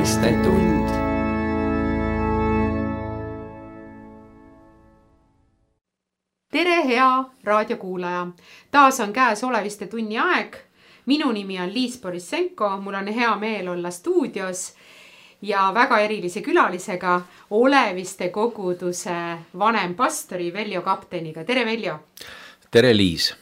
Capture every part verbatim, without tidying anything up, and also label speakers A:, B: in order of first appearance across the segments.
A: Oleviste tund.
B: Tere, hea raadiokuulaja! Taas on käes Oleviste tunni aeg. Minu nimi on Liis Borissenko, mul on hea meel olla stuudios ja väga erilise külalisega Oleviste koguduse vanempastori Veljo Kapteniga. Tere, Veljo!
C: Tere, Liis!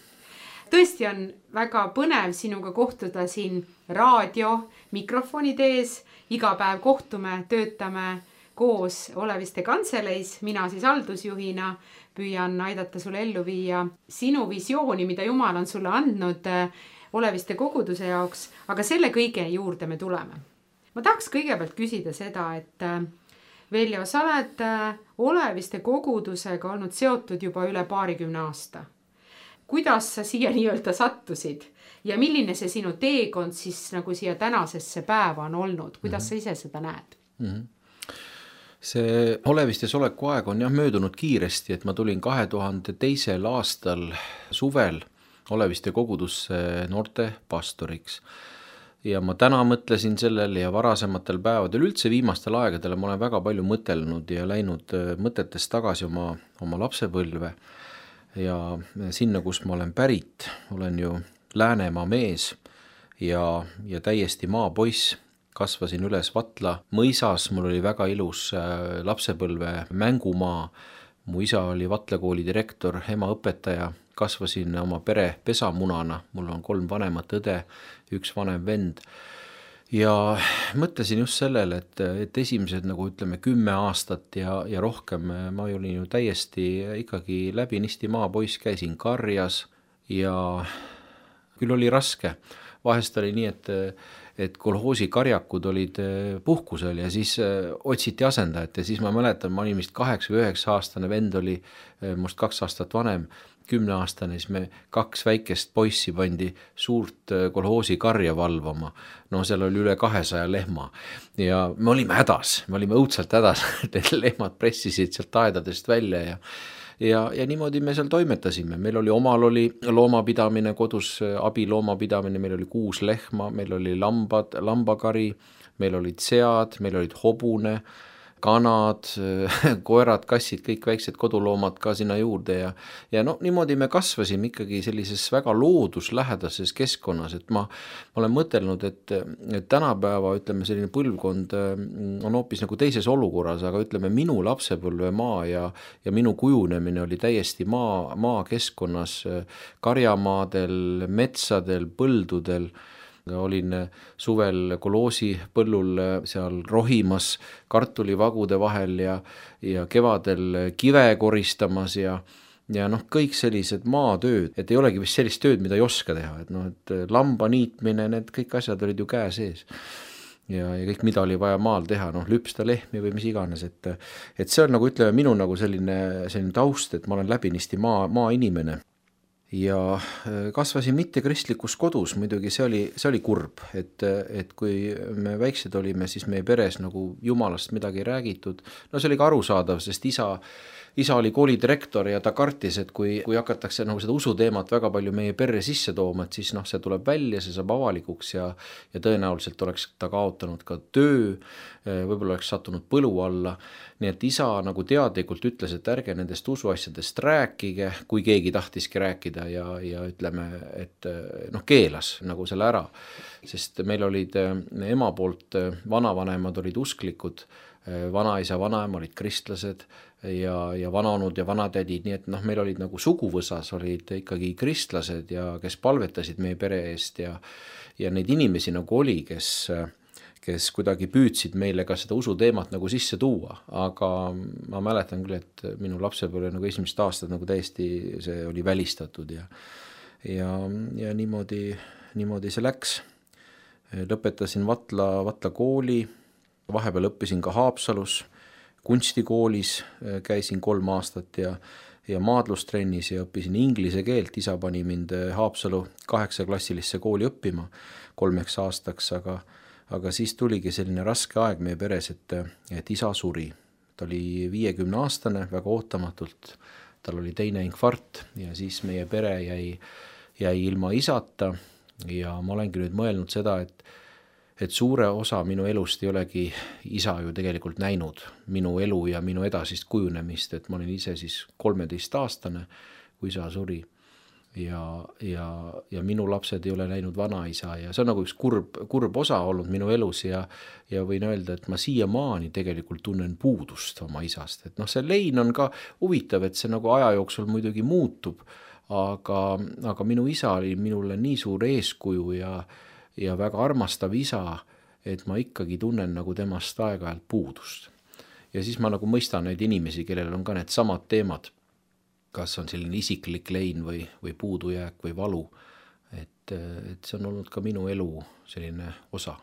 B: Tõesti on väga põnev sinuga kohtuda siin raadio mikrofonide ees. Iga päev kohtume, töötame koos Oleviste kantseleis. Mina siis haldusjuhina püüan aidata sulle ellu viia sinu visiooni, mida Jumal on sulle andnud Oleviste koguduse jaoks, aga selle kõige juurde me tuleme. Ma tahaks kõigepealt küsida seda, et Veljo, sa oled Oleviste kogudusega olnud seotud juba üle paarikümne aasta. Kuidas sa siia nii-öelda sattusid ja milline see sinu teekond siis nagu siia tänasesse päeva on olnud? Kuidas mm-hmm. sa ise seda näed?
C: Mm-hmm. See Olevistes oleku aeg on jah möödunud kiiresti, et ma tulin kahe tuhande teisel aastal suvel Oleviste kogudusse noorte pastoriks. Ja ma täna mõtlesin sellele ja varasematel päevadel, üldse viimastel aegadel ma olen väga palju mõtelnud ja läinud mõtetes tagasi oma, oma lapsepõlve. Ja sinna, kus ma olen pärit, olen ju Läänemaa mees ja, ja täiesti maapoiss. Kasvasin üles Vatla mõisas, mul oli väga ilus lapsepõlve mängumaa. Mu isa oli Vatla kooli direktor, ema õpetaja. Kasvasin oma pere pesamunana, mul on kolm vanemat õde, üks vanem vend. Ja mõtlesin just sellele, et, et esimesed nagu ütleme kümme aastat ja, ja rohkem ma olin ju täiesti ikkagi läbinisti maapoiss, käisin karjas ja küll oli raske. Vahest oli nii, et, et kolhoosi karjakud olid puhkusel ja siis otsiti asendajat ja siis ma mäletan, ma olin vist kaheksa või üheksa aastane vend oli must kaks aastat vanem, kümne aastane, siis me kaks väikest poissi pandi suurt kolhoosi karja valvama. No seal oli üle kahesaja lehma ja me olime hädas, me olime õudselt hädas, et lehmad pressisid sealt aedadest välja ja Ja, ja niimoodi me seal toimetasime. Meil oli omal oli loomapidamine, kodus abiloomapidamine, meil oli kuus lehma, meil oli lambad, lambakari, meil olid sead, meil olid hobune, kanad, koerad, kassid, kõik väiksed koduloomad ka sinna juurde ja, ja no niimoodi me kasvasime ikkagi sellises väga looduslähedases keskkonnas, et ma, ma olen mõtelnud, et, et tänapäeva ütleme selline põlvkond on hoopis nagu teises olukorras, aga ütleme minu lapsepõlve maa ja, ja minu kujunemine oli täiesti maa, maa keskkonnas, karjamaadel, metsadel, põldudel. Olin suvel koloosi põllul seal rohimas kartulivagude vahel ja, ja kevadel kive koristamas ja, ja noh, kõik sellised maatööd, et ei olegi vist sellist tööd, mida ei oska teha, et noh, et lamba niitmine, need kõik asjad olid ju käe sees ja, ja kõik, mida oli vaja maal teha, noh, lüpsta lehmi või mis iganes, et, et see on nagu ütleme minu nagu selline, selline taust, et ma olen läbinisti maa, maa inimene. Ja kasvasin mitte kristlikus kodus, muidugi see oli, see oli kurb, et, et kui me väiksed olime, siis meie peres nagu Jumalast midagi räägitud. No see oli ka arusaadav, sest isa, isa oli koolidirektor ja ta kartis, et kui, kui hakatakse nagu seda usuteemat väga palju meie perre sisse tooma, et siis noh, see tuleb välja, see saab avalikuks ja, ja tõenäoliselt oleks ta kaotanud ka töö, võib-olla oleks sattunud põlu alla. Nii et isa nagu teadlikult ütles, et ärge nendest usuasjadest rääkige, kui keegi tahtiski rääkida ja, ja ütleme, et noh, keelas nagu selle ära. Sest meil olid ema poolt vanavanemad olid usklikud, vanaisa, vanaema olid kristlased ja, ja vanaonud ja vanatädid, nii et noh, meil olid nagu suguvõsas olid ikkagi kristlased ja kes palvetasid meie pere eest ja, ja neid inimesi nagu oli, kes kes kuidagi püüdsid meile ka seda usuteemat nagu sisse tuua, aga ma mäletan küll, et minu lapsepõlve nagu esimest aastat nagu täiesti see oli välistatud ja, ja, ja niimoodi, niimoodi see läks. Lõpetasin Vatla, Vatla kooli, vahepeal õppisin ka Haapsalus, kunstikoolis käisin kolm aastat ja, ja maadlustrennis ja õppisin inglise keelt, isa pani mind Haapsalu kaheksaklassilisse kooli õppima kolmeks aastaks, aga Aga siis tuligi selline raske aeg meie peres, et, et isa suri. Ta oli viiekümne aastane, väga ootamatult. Tal oli teine infarkt ja siis meie pere jäi, jäi ilma isata ja ma olengi nüüd mõelnud seda, et et suure osa minu elust ei olegi isa ju tegelikult näinud, minu elu ja minu edasist kujunemist, et ma olin ise siis kolmeteist aastane, kui isa suri. Ja, ja, ja minu lapsed ei ole näinud vanaisa ja see on nagu üks kurb, kurb osa olnud minu elus ja, ja võin öelda, et ma siiamaani tegelikult tunnen puudust oma isast. Et noh, see lein on ka huvitav, et see nagu aja jooksul muidugi muutub, aga, aga minu isa oli minule nii suur eeskuju ja, ja väga armastav isa, et ma ikkagi tunnen nagu temast aeg-ajalt puudust. Ja siis ma nagu mõistan neid inimesi, kellel on ka need samad teemad, kas on selline isiklik lein või, või puudujääk või valu, et, et see on olnud ka minu elu selline osa.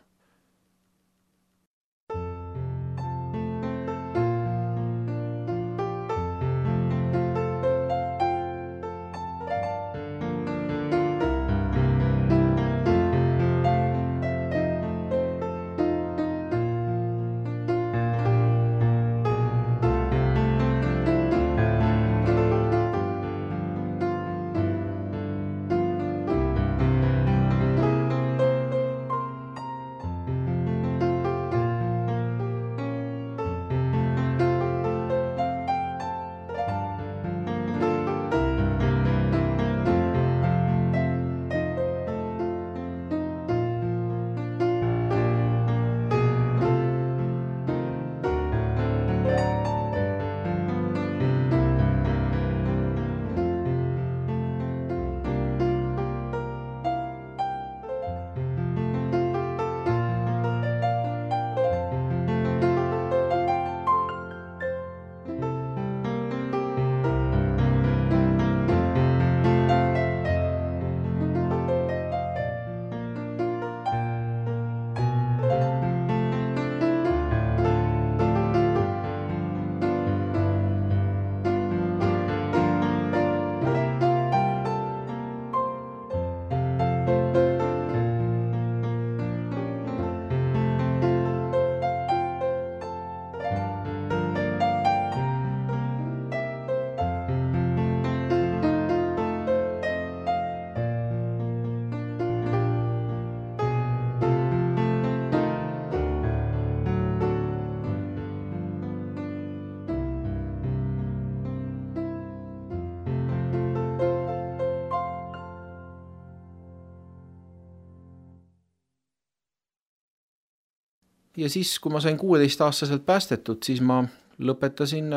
C: Ja siis, kui ma sain kuueteist-aastaselt päästetud, siis ma lõpetasin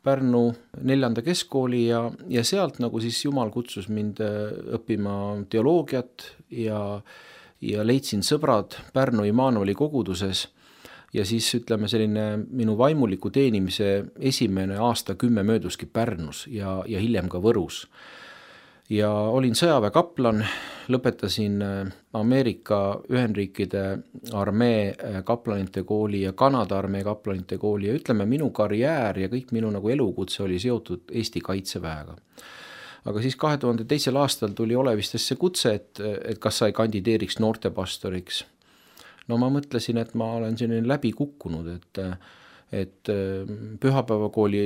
C: Pärnu neljanda keskkooli ja, ja sealt nagu siis Jumal kutsus mind õppima teoloogiat ja, ja leidsin sõbrad Pärnu Immanueli koguduses ja siis ütleme selline minu vaimuliku teenimise esimene aasta kümme mööduski Pärnus ja, ja hiljem ka Võrus. Ja olin sõjaväekaplan, lõpetasin Ameerika Ühendriikide armee kaplanite kooli ja Kanada armee kaplanite kooli ja ütleme, minu karjäär ja kõik minu nagu elukutse oli seotud Eesti Kaitseväega. Aga siis kahe tuhande teisel aastal tuli Olevistesse kutse, et, et kas sa ei kandideeriks noortepastoriks. No ma mõtlesin, et ma olen selline läbi kukkunud, et et pühapäevakooli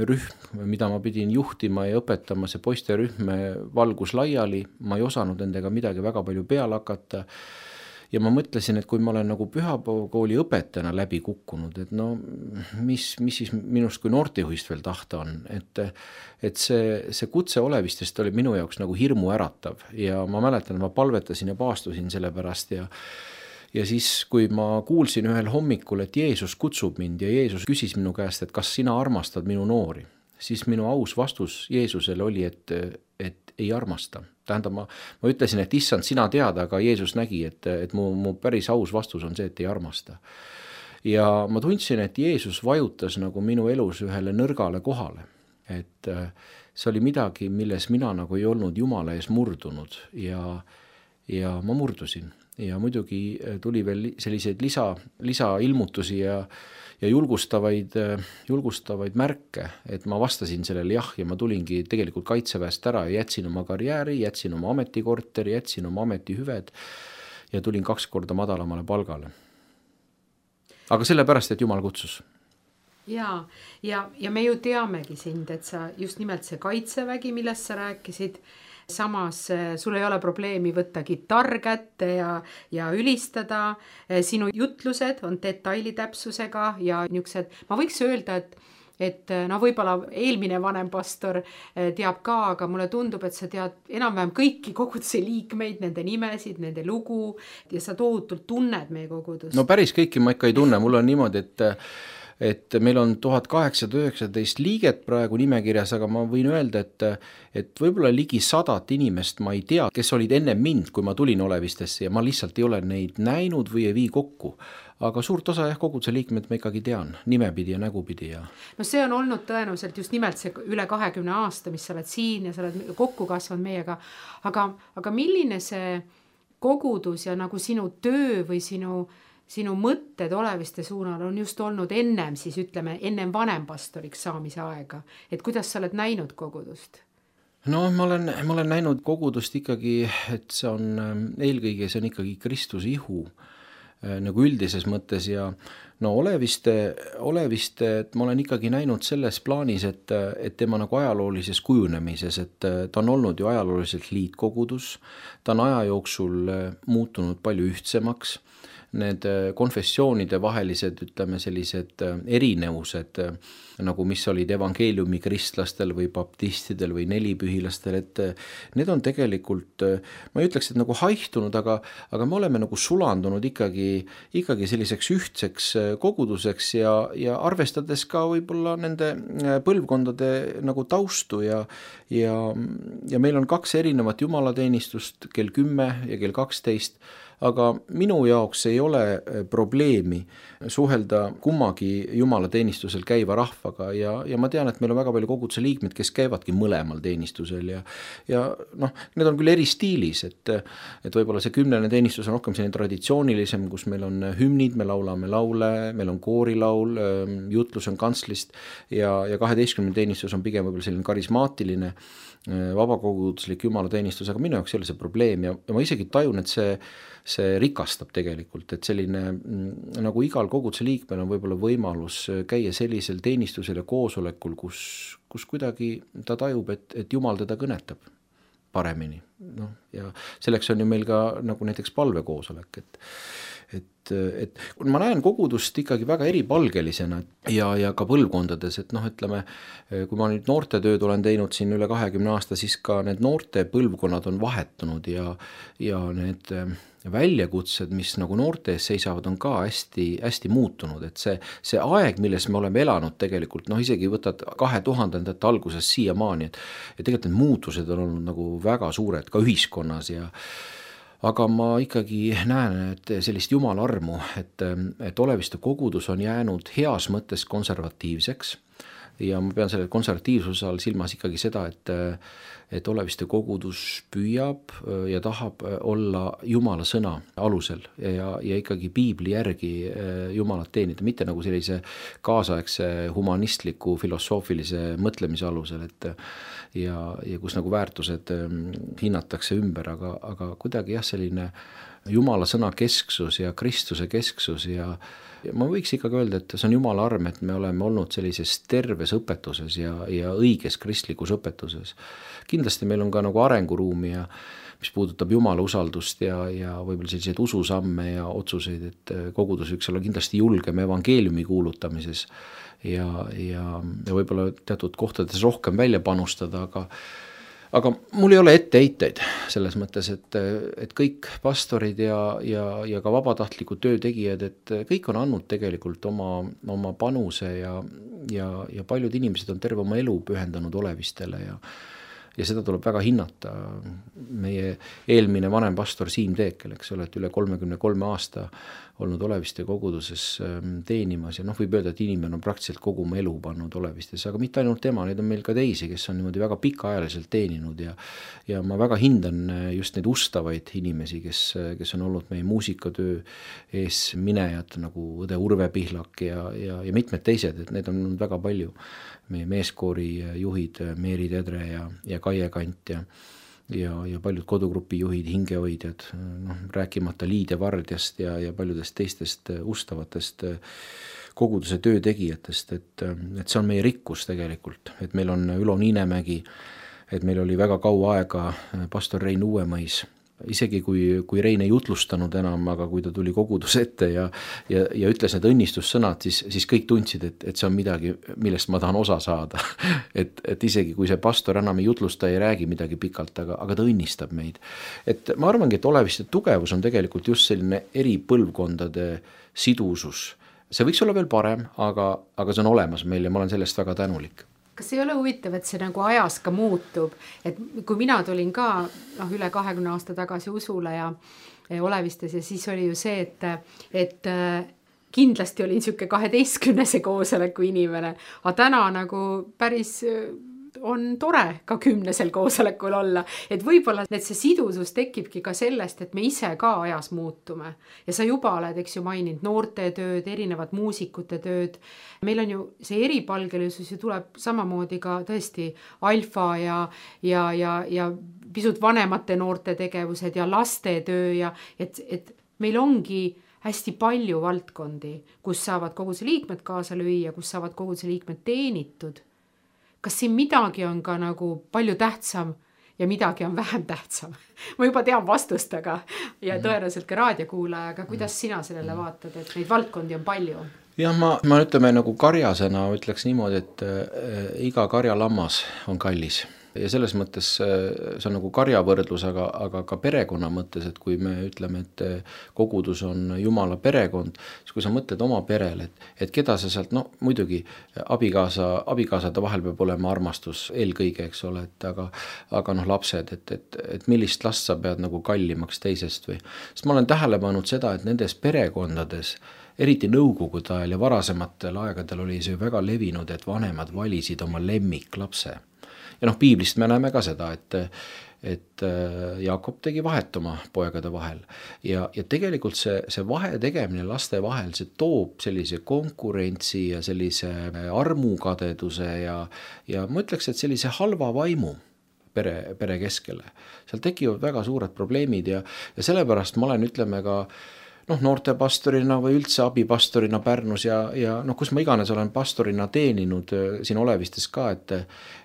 C: rühm, mida ma pidin juhtima ja õpetama, see poisterühm valgus laiali, ma ei osanud nendega midagi väga palju peale hakata ja ma mõtlesin, et kui ma olen nagu pühapäevakooli õpetajana läbi kukkunud, et no mis, mis siis minust kui noortejuhist veel tahta on, et, et see, see kutse Olevistest oli minu jaoks nagu hirmu äratav ja ma mäletan, ma palvetasin ja paastusin selle pärast ja Ja siis, kui ma kuulsin ühel hommikul, et Jeesus kutsub mind ja Jeesus küsis minu käest, et kas sina armastad minu noori, siis minu aus vastus Jeesusele oli, et, et ei armasta. Tähendab, ma, ma ütlesin, et issand, sina tead, aga Jeesus nägi, et, et mu, mu päris aus vastus on see, et ei armasta. Ja ma tundsin, et Jeesus vajutas nagu minu elus ühele nõrgale kohale. Et see oli midagi, milles mina nagu ei olnud Jumala ees murdunud ja, ja ma murdusin. Ja muidugi tuli veel selliseid lisa, lisailmutusi ja, ja julgustavaid, julgustavaid märke, et ma vastasin sellele jah ja ma tulingi tegelikult Kaitseväest ära ja jätsin oma karjääri, jätsin oma ametikorteri, jätsin oma ametihüved ja tulin kaks korda madalamale palgale. Aga sellepärast, et Jumal kutsus.
B: Ja, ja, ja me ju teamegi sind, et sa just nimelt see Kaitsevägi, millest sa rääkisid, samas sul ei ole probleemi võtta kitarr kätte ja, ja ülistada. Sinu jutlused on detailitäpsusega ja niisugused, ma võiks öelda, et et no võib-olla eelmine vanem pastor teab ka, aga mulle tundub, et sa tead enam-vähem kõiki koguduse liikmeid, nende nimesid, nende lugu ja sa tohutult tunned meie kogudust.
C: No päris kõiki ma ikka ei tunne, mul on niimoodi, et et meil on tuhat kaheksasada üheksateist liiget praegu nimekirjas, aga ma võin öelda, et et võib-olla ligi sadat inimest ma ei tea, kes olid enne mind, kui ma tulin Olevistesse ja ma lihtsalt ei ole neid näinud või ei vii kokku. Aga suurt osa jah, koguduse liikmed ma ikkagi tean, nimepidi ja nägupidi. Ja...
B: No see on olnud tõenäoliselt just nimelt see üle kahekümne aasta, mis sa oled siin ja sa oled kokku kasvanud meiega. Aga, aga milline see kogudus ja nagu sinu töö või sinu, sinu mõtted Oleviste suunal on just olnud ennem, siis ütleme, ennem vanempastoriks saamise aega. Et kuidas sa oled näinud kogudust?
C: No ma olen, ma olen näinud kogudust ikkagi, et see on eelkõige, see on ikkagi Kristuse ihu nagu üldises mõttes ja no Oleviste, Oleviste, et ma olen ikkagi näinud selles plaanis, et, et tema nagu ajaloolises kujunemises, et ta on olnud ju ajalooliselt liitkogudus, ta on aja jooksul muutunud palju ühtsemaks, need konfessioonide vahelised, ütleme sellised erinevused, nagu mis olid evangeeliumi kristlastel või baptistidel või nelipühilastel, et need on tegelikult, ma ei ütleks, et nagu haihtunud, aga, aga me oleme nagu sulandunud ikkagi, ikkagi selliseks ühtseks koguduseks ja, ja arvestades ka võib-olla nende põlvkondade nagu taustu ja, ja, ja meil on kaks erinevat jumalateenistust, kell kümme ja kell kaksteist, aga minu jaoks ei ole probleemi suhelda kummagi jumalateenistusel käiva rahvaga ja, ja ma tean, et meil on väga palju koguduse liikmed, kes käivadki mõlemal teenistusel ja, ja noh, need on küll eri stiilis, et, et võib-olla see kümnene teenistus on rohkem selline traditsioonilisem, kus meil on hümnid, me laulame laule, meil on koorilaul, jutlus on kantslist ja, ja kaheteistkümne teenistus on pigem võib-olla selline karismaatiline vabakoguduslik jumalateenistus, aga minu jaoks ei ole see probleem ja, ja ma isegi tajun, et see, see rikastab tegelikult, et selline nagu igal koguduse liikmel on võib-olla võimalus käia sellisel teenistusel ja koosolekul, kus, kus kuidagi ta tajub, et, et Jumal teda kõnetab paremini. No, ja selleks on ju meil ka nagu näiteks palvekoosolek, et et, et ma näen kogudust ikkagi väga eripalgelisena ja, ja ka põlvkondades, et noh, ütleme, kui ma nüüd noortetööd olen teinud siin üle kahekümne aasta, siis ka need noorte põlvkonnad on vahetunud ja, ja need väljakutsed, mis nagu noorte ees seisavad, on ka hästi, hästi muutunud, et see, see aeg, milles me oleme elanud tegelikult, noh isegi võtad kahe tuhandendate alguses siiamaani, et, et tegelikult need muutused on olnud nagu väga suured ka ühiskonnas ja aga ma ikkagi näen, et sellist jumala armu, et, et Oleviste kogudus on jäänud heas mõttes konservatiivseks ja ma pean selle konservatiivsuse all silmas ikkagi seda, et, et Oleviste kogudus püüab ja tahab olla jumala sõna alusel ja, ja ikkagi piibli järgi jumalat teenida, mitte nagu sellise kaasaegse humanistliku filosoofilise mõtlemise alusel, et ja, ja kus nagu väärtused hinnatakse ümber, aga, aga kuidagi jah, selline jumala sõna kesksus ja Kristuse kesksus ja Ja ma võiks ikkagi öelda, et see on jumala arm, et me oleme olnud sellises terves õpetuses ja, ja õiges kristlikus õpetuses. Kindlasti meil on ka nagu arenguruumi ja mis puudutab jumala usaldust ja, ja võib-olla selliseid ususamme ja otsuseid, et kogudus võiks olla kindlasti julgem evangeeliumi kuulutamises ja, ja, ja võib-olla teatud kohtades rohkem välja panustada, aga Aga mul ei ole etteheiteid selles mõttes, et, et kõik pastorid ja, ja, ja ka vabatahtlikud töötegijad, et kõik on andnud tegelikult oma, oma panuse ja, ja, ja paljud inimesed on terve oma elu pühendanud Olevistele ja, ja seda tuleb väga hinnata. Meie eelmine vanem pastor Siim Teekel, eks ole, et üle kolmekümne kolme aasta olnud Oleviste koguduses teenimas ja noh, võib öelda, et inimene on praktiliselt kogu oma elu pannud Olevistes, aga mitte ainult tema, neid on meil ka teisi, kes on niimoodi väga pikaajaliselt teeninud ja, ja ma väga hindan just neid ustavaid inimesi, kes, kes on olnud meie muusikatöö ees minejad nagu õde Urve Pihlak ja, ja, ja mitmed teised, et need on olnud väga palju. Meie meeskoori juhid Meeri Tedre ja, ja Kaie Kant ja ja, ja paljud kodugrupi juhid, hingehoidjad, noh, rääkimata Liidia Vardjast ja, ja paljudest teistest ustavatest koguduse töötegijatest, et, et see on meie rikkus tegelikult, et meil on Ülo Niinemägi, et meil oli väga kaua aega pastor Rein Uuemõis, isegi kui, kui Rein ei jutlustanud enam, aga kui ta tuli koguduse ette ja, ja, ja ütles need õnnistussõnad, siis, siis kõik tundsid, et, et see on midagi, millest ma tahan osa saada. et, et isegi kui see pastor enam ei jutlusta, ei räägi midagi pikalt, aga, aga ta õnnistab meid. Et ma arvangi, et Oleviste tugevus on tegelikult just selline eri põlvkondade sidusus. See võiks olla veel parem, aga, aga see on olemas meil ja ma olen sellest väga tänulik.
B: Kas ei ole huvitav, et see nagu ajas ka muutub, et kui mina tulin ka noh, üle kahekümne aasta tagasi usule ja, ja Olevistes ja siis oli ju see, et, et kindlasti olin siuke kaheteistkümnese koosoleku inimene, aga täna nagu päris on tore ka kümnesel koosolekul olla, et võib-olla et see sidusus tekibki ka sellest, et me ise ka ajas muutume ja sa juba oled, eks ju, maininud noorte tööd, erinevad muusikute tööd. Meil on ju see eripalgelisus ju tuleb samamoodi ka tõesti alfa ja, ja, ja, ja pisut vanemate noorte tegevused ja laste töö ja et, et meil ongi hästi palju valdkondi, kus saavad koguduse liikmed kaasa lüüa, kus saavad koguduse liikmed teenitud. Kas siin midagi on ka nagu palju tähtsam ja midagi on vähem tähtsam? Ma juba tean vastust, aga ja tõenäoliselt ka raadiokuulaja, aga kuidas sina sellele vaatad, et neid valdkondi on palju?
C: Jah, ma, ma ütleme nagu karjasena ütleks niimoodi, et äh, iga karjalammas on kallis. Ja selles mõttes see on nagu karjavõrdlus, aga, aga ka perekonna mõttes, et kui me ütleme, et kogudus on Jumala perekond, siis kui sa mõtled oma perele, et, et keda sa sealt, no muidugi abikaasa, abikaasade vahel peab olema armastus eelkõige, eks ole, et aga, aga noh lapsed, et, et, et millist last sa pead nagu kallimaks teisest või. Sest ma olen tähele pannud seda, et nendes perekondades, eriti nõukogude ajal ja varasematel aegadel oli see väga levinud, et vanemad valisid oma lemmiklapse. Ja noh, piiblist me näeme ka seda, et, et Jaakob tegi vahet oma poegade vahel ja, ja tegelikult see, see vahe tegemine laste vahel, see toob sellise konkurentsi ja sellise armukadeduse ja, ja ma ütleks, et sellise halva vaimu pere, pere keskele. Seal tekivad väga suured probleemid ja, ja sellepärast ma olen, ütleme ka noh, noortepastorina või üldse abipastorina Pärnus ja, ja noh, kus ma iganes olen pastorina teeninud siin Olevistes ka, et,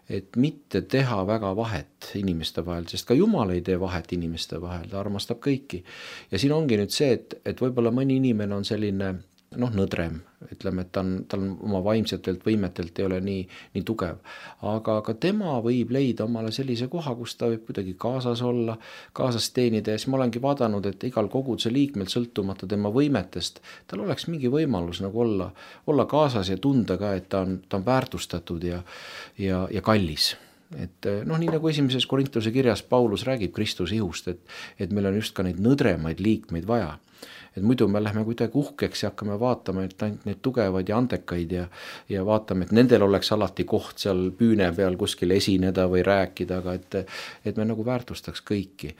C: et mitte teha väga vahet inimeste vahel, sest ka Jumal ei tee vahet inimeste vahel, ta armastab kõiki. Ja siin ongi nüüd see, et, et võib-olla mõni inimene on selline noh, nõdrem, ütleme, et ta on, ta on oma vaimsetelt võimetelt ei ole nii, nii tugev, aga ka tema võib leida omale sellise koha, kus ta võib kuidagi kaasas olla, kaasas teenida ja siis ma olengi vaadanud, et igal koguduse liikmel sõltumata tema võimetest, tal oleks mingi võimalus nagu olla, olla kaasas ja tunda ka, et ta on, ta on väärtustatud ja, ja, ja kallis. Et noh, nii nagu esimeses Korintuse kirjas Paulus räägib Kristuse ihust, et, et meil on just ka neid nõdremaid liikmeid vaja. Et muidu me lähme kuidagi uhkeks ja hakkame vaatama, et ainult neid tugevaid ja andekaid ja, ja vaatame, et nendel oleks alati koht seal püüne peal kuskil esineda või rääkida, aga et, et me nagu väärtustaks kõiki.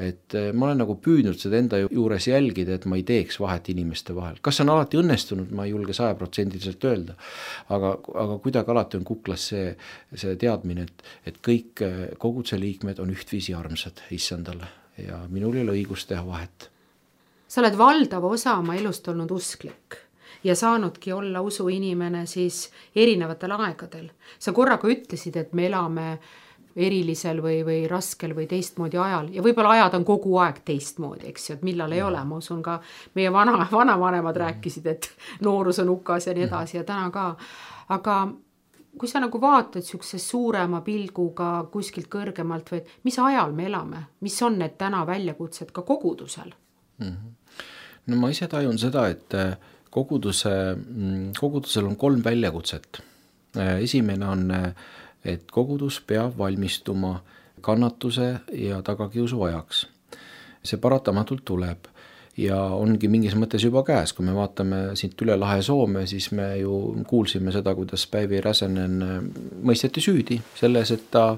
C: Et ma olen nagu püüdnud seda enda juures jälgida, et ma ei teeks vahet inimeste vahel. Kas see on alati õnnestunud, ma ei julge sajaprotsendiliselt öelda, aga, aga kuidagi alati on kuklas see, see teadmine, et, et kõik koguduse liikmed on ühtviisi armsad issandale ja minul ei ole õigus teha vahet.
B: Sa oled valdava osa oma elust olnud usklik ja saanudki olla usuinimene siis erinevatel aegadel. Sa korraga ütlesid, et me elame erilisel või, või raskel või teistmoodi ajal ja võib-olla ajad on kogu aeg teistmoodi, eks ju, et millal ei ole. Ma usun ka meie vana, vanavanemad rääkisid, et noorus on hukas ja nii edasi ja täna ka. Aga kui sa nagu vaatad siukse suurema pilguga kuskilt kõrgemalt või mis ajal me elame, mis on need täna väljakutsed ka kogudusel?
C: No ma ise tajun seda, et koguduse, kogudusel on kolm väljakutset. Esimene on, et kogudus peab valmistuma kannatuse ja tagakiusu ajaks. See paratamatult tuleb ja ongi mingis mõttes juba käes. Kui me vaatame siit üle lahe Soome, siis me ju kuulsime seda, kuidas Päivi Räsänen mõisteti süüdi selles, et ta,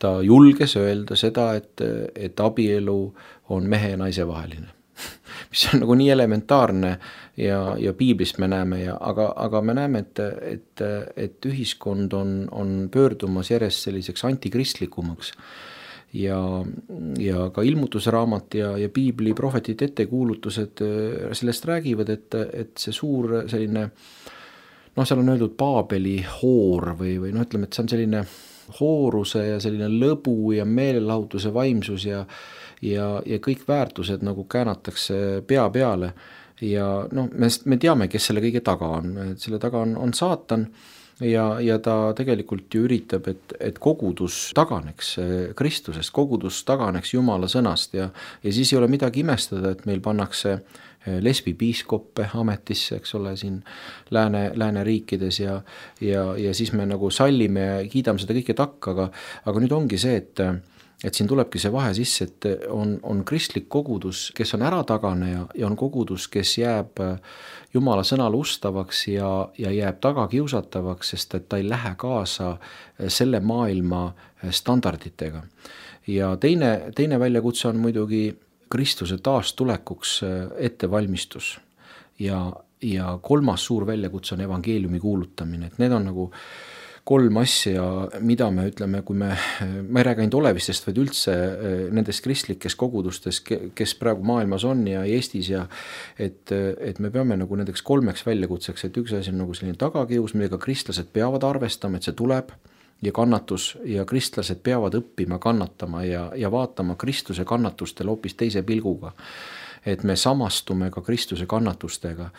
C: ta julges öelda seda, et, et abielu on mehe ja naise vaheline. Mis on nagu nii elementaarne ja, ja piiblist me näeme, ja, aga, aga me näeme, et, et, et ühiskond on, on pöördumas järjest selliseks antikristlikumaks ja, ja ka ilmutusraamat ja, ja piibli prohvetid ettekuulutused sellest räägivad, et, et see suur selline, noh, seal on öeldud Paabeli hoor või, või noh, ütleme, et see on selline hooruse ja selline lõbu ja meelelahutuse vaimsus ja ja, ja kõik väärtused nagu käänatakse pea peale ja noh, me, me teame, kes selle kõige taga on, et selle taga on, on saatan ja, ja ta tegelikult ju üritab, et, et kogudus taganeks Kristusest, kogudus taganeks Jumala sõnast ja, ja siis ei ole midagi imestada, et meil pannakse lesbipiiskoppe ametisse, eks ole, siin lääne, lääneriikides ja, ja, ja siis me nagu sallime ja kiidame seda kõike takka, aga, aga nüüd ongi see, et et siin tulebki see vahe sisse, et on, on kristlik kogudus, kes on äratagane ja, ja on kogudus, kes jääb Jumala sõnale ustavaks ja, ja jääb tagakiusatavaks, sest et ta ei lähe kaasa selle maailma standarditega. Ja teine, teine väljakutse on muidugi Kristuse taastulekuks ettevalmistus ja, ja kolmas suur väljakutse on evangeeliumi kuulutamine, et need on nagu kolm asja, mida me ütleme, kui me, ma ei räägi ainult olevistest, vaid üldse nendest kristlikes kogudustes, kes praegu maailmas on ja Eestis ja et, et me peame nagu nendeks kolmeks väljakutseks, et üks asi on nagu selline tagakius, millega kristlased peavad arvestama, et see tuleb ja kannatus ja kristlased peavad õppima kannatama ja, ja vaatama Kristuse kannatustele hoopis teise pilguga, et me samastume ka Kristuse kannatustega.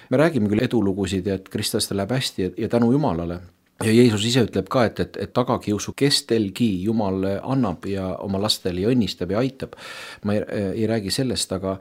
C: Me räägime küll edulugusid ja et kristlastel läheb hästi ja, ja tänu Jumalale. Ja Jeesus ise ütleb ka, et, et, et tagakiusu kestelgi Jumal annab ja oma lastele ja õnnistab ja aitab. Ma ei, ei räägi sellest, aga,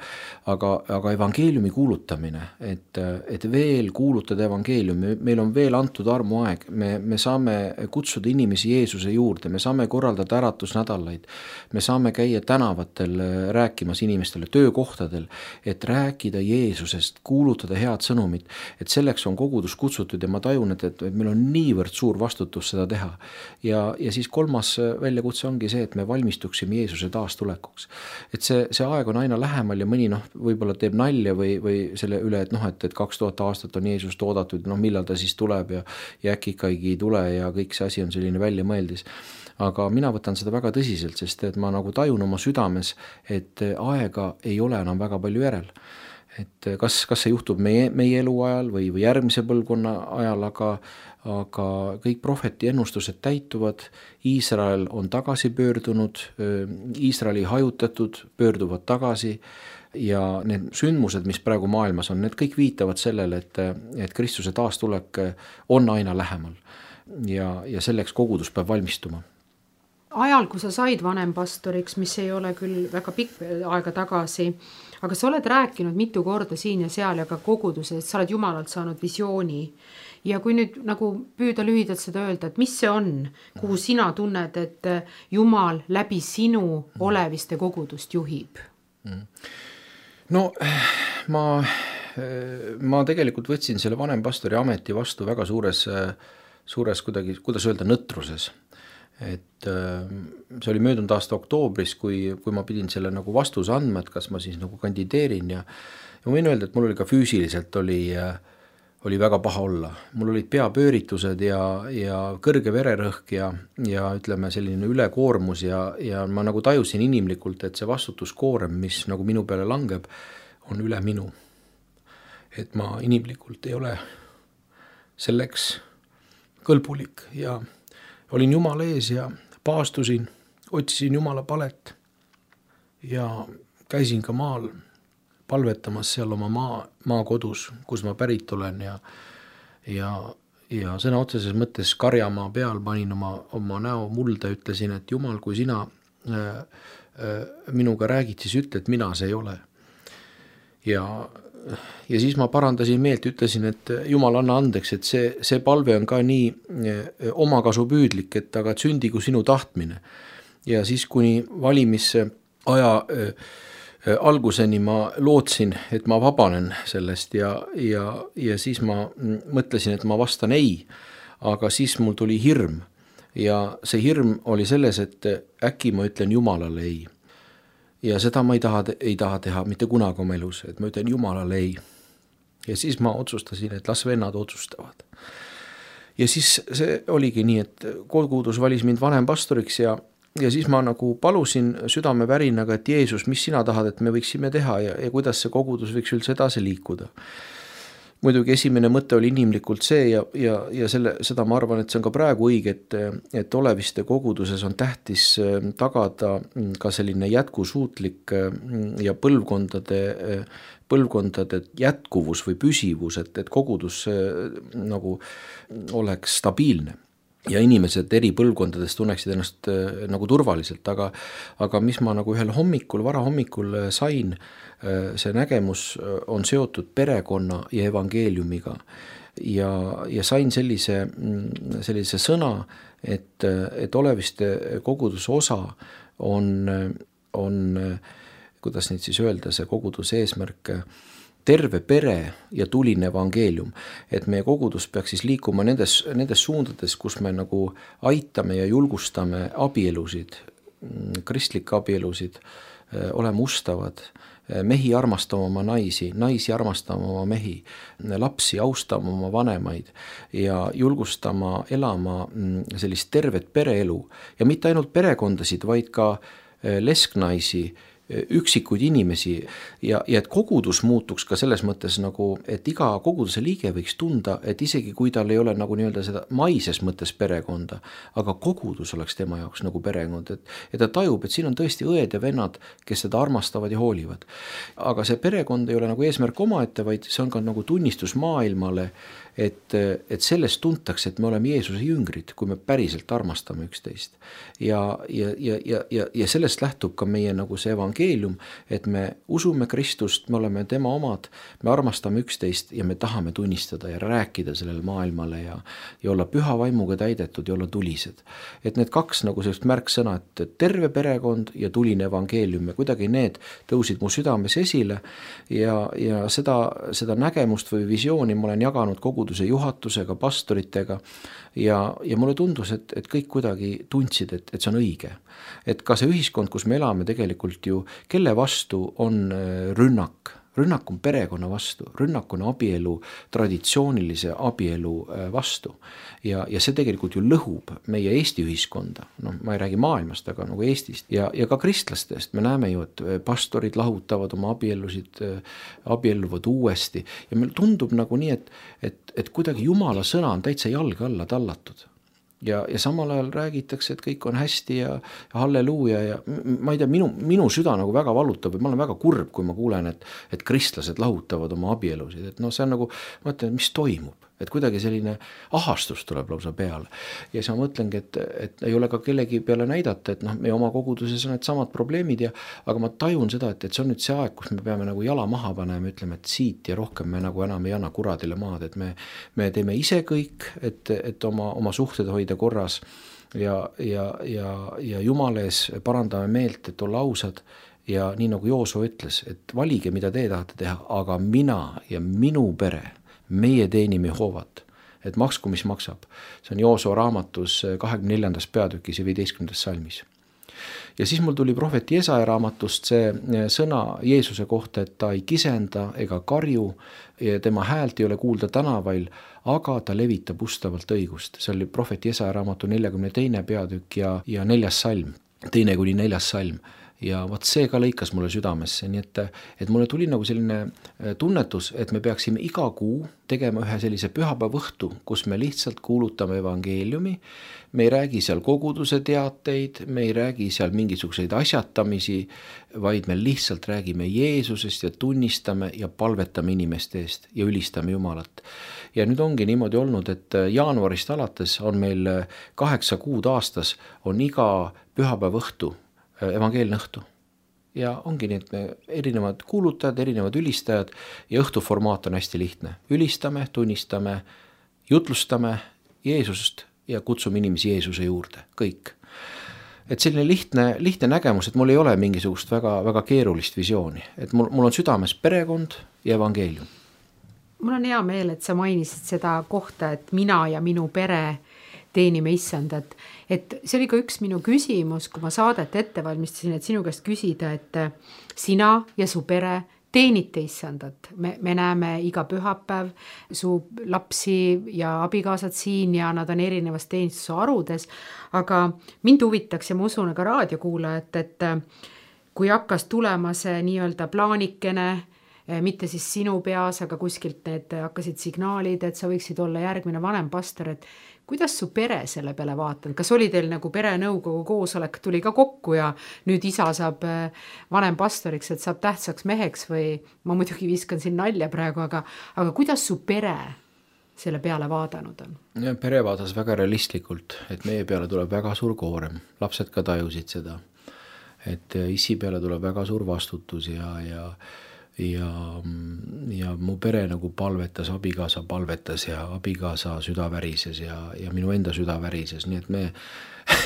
C: aga, aga evangeeliumi kuulutamine, et, et veel kuulutada evangeeliumi, meil on veel antud armuaeg, me, me saame kutsuda inimesi Jeesuse juurde, me saame korraldada äratusnädalaid, me saame käia tänavatel rääkimas inimestele, töökohtadel, et rääkida Jeesusest, kuulutada head sõnumit, et selleks on kogudus kutsutud ja ma tajun, et, et meil on niivõrd suur vastutus seda teha. Ja, ja siis kolmas väljakutse ongi see, et me valmistuksime Jeesuse taastulekuks. Et see, see aeg on aina lähemal ja mõni noh, võib-olla teeb nalja või, või selle üle, et noh, et, et kaks tuhat aastat on Jeesust oodatud, noh millal ta siis tuleb ja, ja äkki ikkagi ei tule ja kõik see asi on selline väljamõeldis. Aga mina võtan seda väga tõsiselt, sest et ma nagu tajun oma südames, et aega ei ole enam väga palju järel. Et kas, kas see juhtub meie, meie eluajal või, või järgmise põlvkonna ajal, aga, aga kõik prohveti ennustused täituvad, Iisrael on tagasi pöördunud, Iisraeli hajutatud pöörduvad tagasi ja need sündmused, mis praegu maailmas on, need kõik viitavad sellele, et, et Kristuse taastulek on aina lähemal ja, ja selleks kogudus peab valmistuma.
B: Ajal, kui sa said vanempastoriks, mis ei ole küll väga pikk aega tagasi, aga sa oled rääkinud mitu korda siin ja seal ja ka koguduses, et sa oled Jumalalt saanud visiooni. Ja kui nüüd nagu püüda lühidalt seda öelda, et mis see on, kuhu sina tunned, et Jumal läbi sinu oleviste kogudust juhib?
C: No ma, ma tegelikult võtsin selle vanempastori ameti vastu väga suures, suures kuidagi, kuidas öelda, nõtruses. Et see oli möödunud aasta oktoobris, kui, kui ma pidin selle nagu vastuse andma, et kas ma siis nagu kandideerin ja, ja ma võin öelda, et mul oli ka füüsiliselt oli, oli väga paha olla. Mul olid peapööritused ja, ja kõrge vererõhk ja, ja ütleme selline ülekoormus ja, ja ma nagu tajusin inimlikult, et see vastutuskoorem, mis nagu minu peale langeb, on üle minu. Et ma inimlikult ei ole selleks kõlbulik ja olin Jumala ees ja paastusin, otsisin Jumala palet ja käisin ka maal palvetamas seal oma maa, maakodus, kus ma pärit olen ja, ja, ja sõna otseses mõttes karjamaa peal panin oma, oma näo mulda, ütlesin, et Jumal, kui sina äh, äh, minuga räägid, siis ütle, et mina see ei ole. Ja Ja siis ma parandasin meelt, ütlesin, et Jumal anna andeks, et see, see palve on ka nii omakasupüüdlik, et aga sündigu sinu tahtmine. Ja siis kuni valimise aja äh, alguseni ma lootsin, et ma vabanen sellest ja, ja, ja siis ma mõtlesin, et ma vastan ei, aga siis mul tuli hirm ja see hirm oli selles, et äkki ma ütlen Jumalale ei. Ja seda ma ei taha, ei taha teha mitte kunagi oma elus, et ma ütlen Jumalale ei. Ja siis ma otsustasin, et las vennad otsustavad. Ja siis see oligi nii, et kogudus valis mind vanempastoriks ja, ja siis ma nagu palusin südame värinaga, et Jeesus, mis sina tahad, et me võiksime teha ja, ja kuidas see kogudus võiks üldse edasi liikuda. muidugi esimene mõte oli inimlikult see ja, ja, ja selle, seda ma arvan, et see on ka praegu õige, et, et Oleviste koguduses on tähtis tagada ka selline jätkusuutlik ja põlvkondade, põlvkondade jätkuvus või püsivus, et, et kogudus nagu oleks stabiilne. Ja inimesed eri põlvkondades tunneksid ennast äh, nagu turvaliselt, aga, aga mis ma nagu ühel hommikul, varahommikul sain, äh, see nägemus on seotud perekonna ja evangeeliumiga ja, ja sain sellise, sellise sõna, et, et Oleviste koguduse osa on, on, kuidas neid siis öelda, see koguduse eesmärk, terve pere ja tuline evangeelium, et meie kogudus peaks siis liikuma nendes, nendes suundades, kus me nagu aitame ja julgustame abielusid, kristlikke abielusid, oleme ustavad, mehi armastama oma naisi, naisi armastama oma mehi, lapsi austama oma vanemaid ja julgustama elama sellist tervet pereelu ja mitte ainult perekondasid, vaid ka lesknaisi, üksikuid inimesi ja, ja et kogudus muutuks ka selles mõttes nagu, et iga koguduse liige võiks tunda, et isegi kui tal ei ole nagu nii-öelda seda maises mõttes perekonda, aga kogudus oleks tema jaoks nagu perekond, et, et ta tajub, et siin on tõesti õed ja vennad, kes seda armastavad ja hoolivad. Aga see perekond ei ole nagu eesmärk omaette, vaid see on ka nagu tunnistus maailmale, et, et sellest tuntakse, et me oleme Jeesuse jüngrid, kui me päriselt armastame üksteist. Ja, ja, ja, ja, ja, ja sellest lähtub ka meie nagu see evangeelium, et me usume Kristust, me oleme tema omad, me armastame üksteist ja me tahame tunnistada ja rääkida sellele maailmale ja, ja olla püha vaimuga täidetud ja olla tulised. Et need kaks nagu sellist märksõna, et terve perekond ja tuline evangeelium ja kuidagi need tõusid mu südames esile ja, ja seda, seda nägemust või visiooni ma olen jaganud koguduse juhatusega, pastoritega ja, ja mulle tundus, et, et kõik kuidagi tundsid, et, et see on õige. Et ka see ühiskond, kus me elame tegelikult ju, kelle vastu on rünnak, rünnak on perekonna vastu, rünnak on abielu, traditsioonilise abielu vastu ja, ja see tegelikult ju lõhub meie Eesti ühiskonda, noh ma ei räägi maailmast, aga nagu Eestist ja, ja ka kristlastest, me näeme ju, et pastorid lahutavad oma abielusid, abielluvad uuesti ja meil tundub nagu nii, et, et, et kuidagi Jumala sõna on täitsa jalge alla tallatud. Ja, ja samal ajal räägitakse, et kõik on hästi ja, ja halleluuja ja ma ei tea, minu, minu süda nagu väga valutab ja ma olen väga kurb, kui ma kuulen, et, et kristlased lahutavad oma abielusid, et noh, see on nagu, ma mõtlen, mis toimub, et kuidagi selline ahastus tuleb lausa peale ja siis ma mõtlengi, et, et ei ole ka kellegi peale näidata, et noh, meie oma koguduses on need samad probleemid ja aga ma tajun seda, et, et see on nüüd see aeg, kus me peame nagu jala maha panema ja ütleme, et siit ja rohkem me nagu enam ei anna kuradile maad, et me, me teeme ise kõik, et, et oma, oma suhted hoida korras ja, ja, ja, ja Jumala ees parandame meelt, et olla ausad ja nii nagu Jooso ütles, et valige, mida te tahate teha, aga mina ja minu pere meie teenime Jehovat, et maksku, mis maksab. See on Jooso raamatus kahekümne neljandas peatükis ja viieteistkümnendas salmis. Ja siis mul tuli prohvet Jesaja raamatust see sõna Jeesuse kohta, et ta ei kisenda ega karju ja tema häält ei ole kuulda tänavail, aga ta levitab ustavalt õigust. See oli prohvet Jesaja raamatu neljakümne teine peatükk ja, ja neljas salm, teine kuni neljas salm. Ja vaat see ka lõikas mulle südamesse, nii et, et mulle tuli nagu selline tunnetus, et me peaksime iga kuu tegema ühe sellise pühapäevõhtu, kus me lihtsalt kuulutame evangeeliumi, me ei räägi seal koguduse teateid, me ei räägi seal mingisuguseid asjatamisi, vaid me lihtsalt räägime Jeesusest ja tunnistame ja palvetame inimeste eest ja ülistame Jumalat. Ja nüüd ongi niimoodi olnud, et jaanuarist alates on meil kaheksa kuud aastas, on iga pühapäevõhtu evangeelne õhtu. Ja ongi need erinevad kuulutajad, erinevad ülistajad ja õhtuformaat on hästi lihtne. Ülistame, tunnistame, jutlustame Jeesust ja kutsume inimesi Jeesuse juurde, kõik. Et selline lihtne, lihtne nägemus, et mul ei ole mingisugust väga, väga keerulist visiooni. Et mul, mul on südames perekond ja evangeelium.
B: Mul on hea meel, et sa mainisid seda kohta, et mina ja minu pere teenime issandat. Et see oli ka üks minu küsimus, kui ma saadet ette valmistasin, et sinu käest küsida, et sina ja su pere teenite issandat. Me, me näeme iga pühapäev su lapsi ja abikaasad siin ja nad on erinevas teenistuse arudes, aga mind huvitaks ja ma usun ka raadiokuulajat, et kui hakkas tulema see nii-öelda plaanikene mitte siis sinu peas, aga kuskilt need hakkasid signaalid, et sa võiksid olla järgmine vanem pastor, et kuidas su pere selle peale vaatanud? Kas oli teil nagu perenõukogu koosolek tuli ka kokku ja nüüd isa saab vanem pastoriks, et saab tähtsaks meheks või ma muidugi viskan siin nalja praegu, aga, aga kuidas su pere selle peale vaadanud on?
C: Ja, pere vaadas väga realistlikult, et meie peale tuleb väga suur koorem, lapsed ka tajusid seda, et isi peale tuleb väga suur vastutus ja, ja ja, ja mu pere nagu palvetas, abikaasa palvetas ja abikaasa süda värises ja, ja minu enda süda värises, nii et me,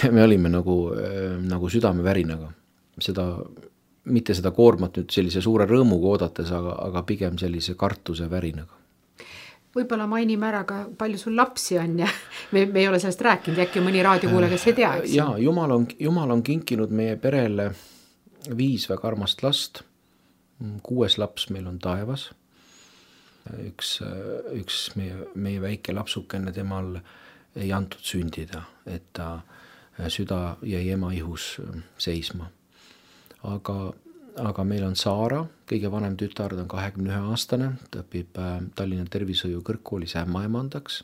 C: me olime nagu, nagu südamevärinaga. Seda, mitte seda koormat nüüd sellise suure rõõmuga oodates, aga, aga pigem sellise kartuse värinaga.
B: Võib-olla mainime ära ka, palju sul lapsi on ja me, me ei ole sellest rääkinud, äkki mõni raadiokuulaja, kes ei tea.
C: Jaa, Jumal on, Jumal on kinkinud meie perele viis väga armast last. Kuues laps meil on taevas. Üks, üks meie, meie väike lapsukene temal ei antud sündida, et ta süda jäi ema ihus seisma. Aga, aga meil on Saara, kõige vanem tütar, ta on kahekümne ühe aastane, ta õpib Tallinna tervishoiu kõrgkoolis ämmaemandaks.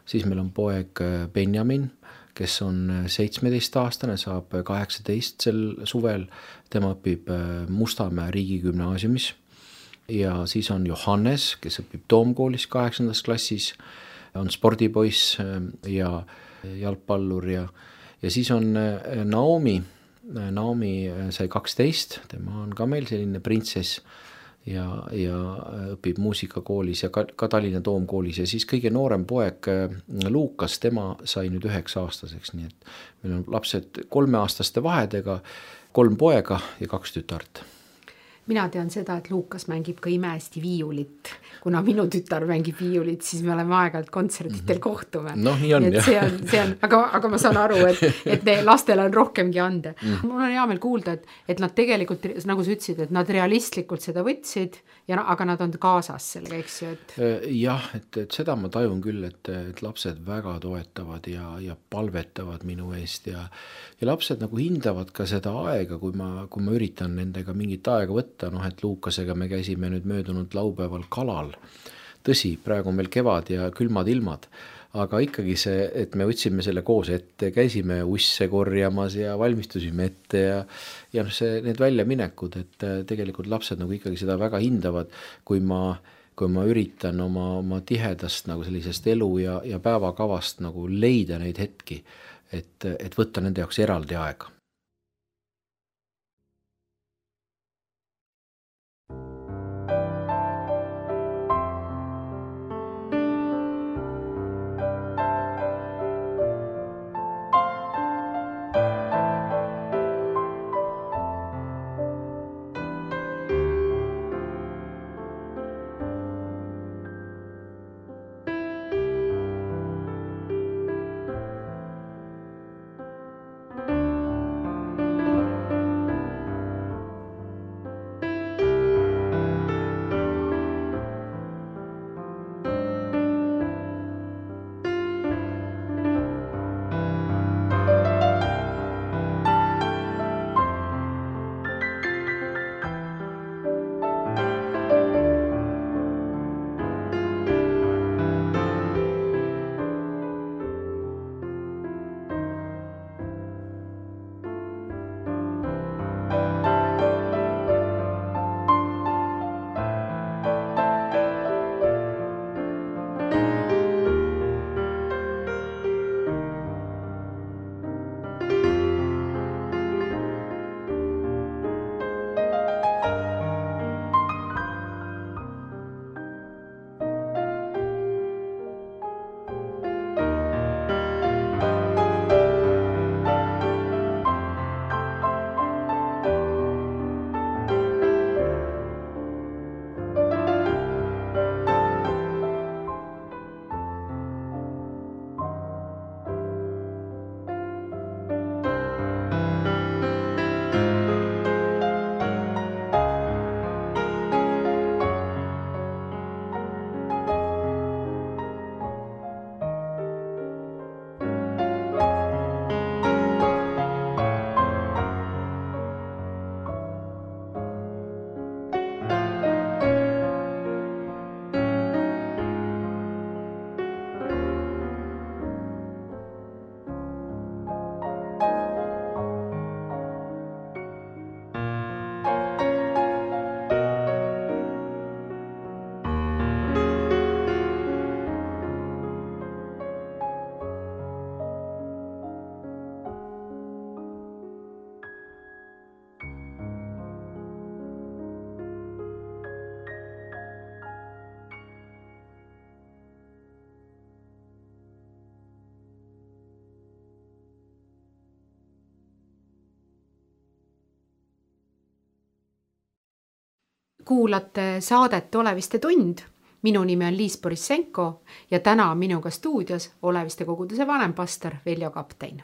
C: Siis meil on poeg Benjamin, kes on seitsmeteist aastane, saab kaheksateist sel suvel, tema õpib Mustamäe riigigümnaasiumis ja siis on Johannes, kes õpib Toomkoolis kaheksandas klassis, on spordipoiss ja jalgpallur ja, ja siis on Naomi, Naomi sai kaksteist, tema on ka meil selline printsess ja, ja õpib muusikakoolis ja ka, ka Tallinna Toomkoolis ja siis kõige noorem poeg Luukas, tema sai nüüd üheksa aastaseks, nii et meil on lapsed kolmeaastaste vahedega, kolm poega ja kaks tütart.
B: Mina tean seda, et Luukas mängib ka imehästi viiulit. Kuna minu tütar mängib viiulit, siis me oleme aeg-ajalt kontsertitel kohtume.
C: No, nii on,
B: see on, see on, aga, aga ma saan aru, et, et ne, lastel on rohkemgi ande. Mm. Mul on hea meel kuulda, et, et nad tegelikult, nagu sa ütlesid, et nad realistlikult seda võtsid, ja, aga nad on kaasas sellega, eks ju. Et...
C: Jah, et, et seda ma tajun küll, et, et lapsed väga toetavad ja, ja palvetavad minu eest ja, ja lapsed nagu hindavad ka seda aega, kui ma, kui ma üritan nendega mingit aega võtta, noh, et Luukasega me käisime nüüd möödunud laupäeval kalal. Tõsi, praegu on meil kevad ja külmad ilmad, aga ikkagi see, et me võtsime selle koos ette, käisime usse korjamas ja valmistusime ette ja, ja see, need väljaminekud, et tegelikult lapsed nagu ikkagi seda väga hindavad, kui ma, kui ma üritan oma, oma tihedast nagu sellisest elu ja, ja päevakavast nagu leida neid hetki, et, et võtta nende jaoks eraldi aega.
B: kuulate saadet Oleviste tund. Minu nimi on Liis Borissenko ja täna on minuga stuudios Oleviste koguduse vanempastor Veljo Kaptein.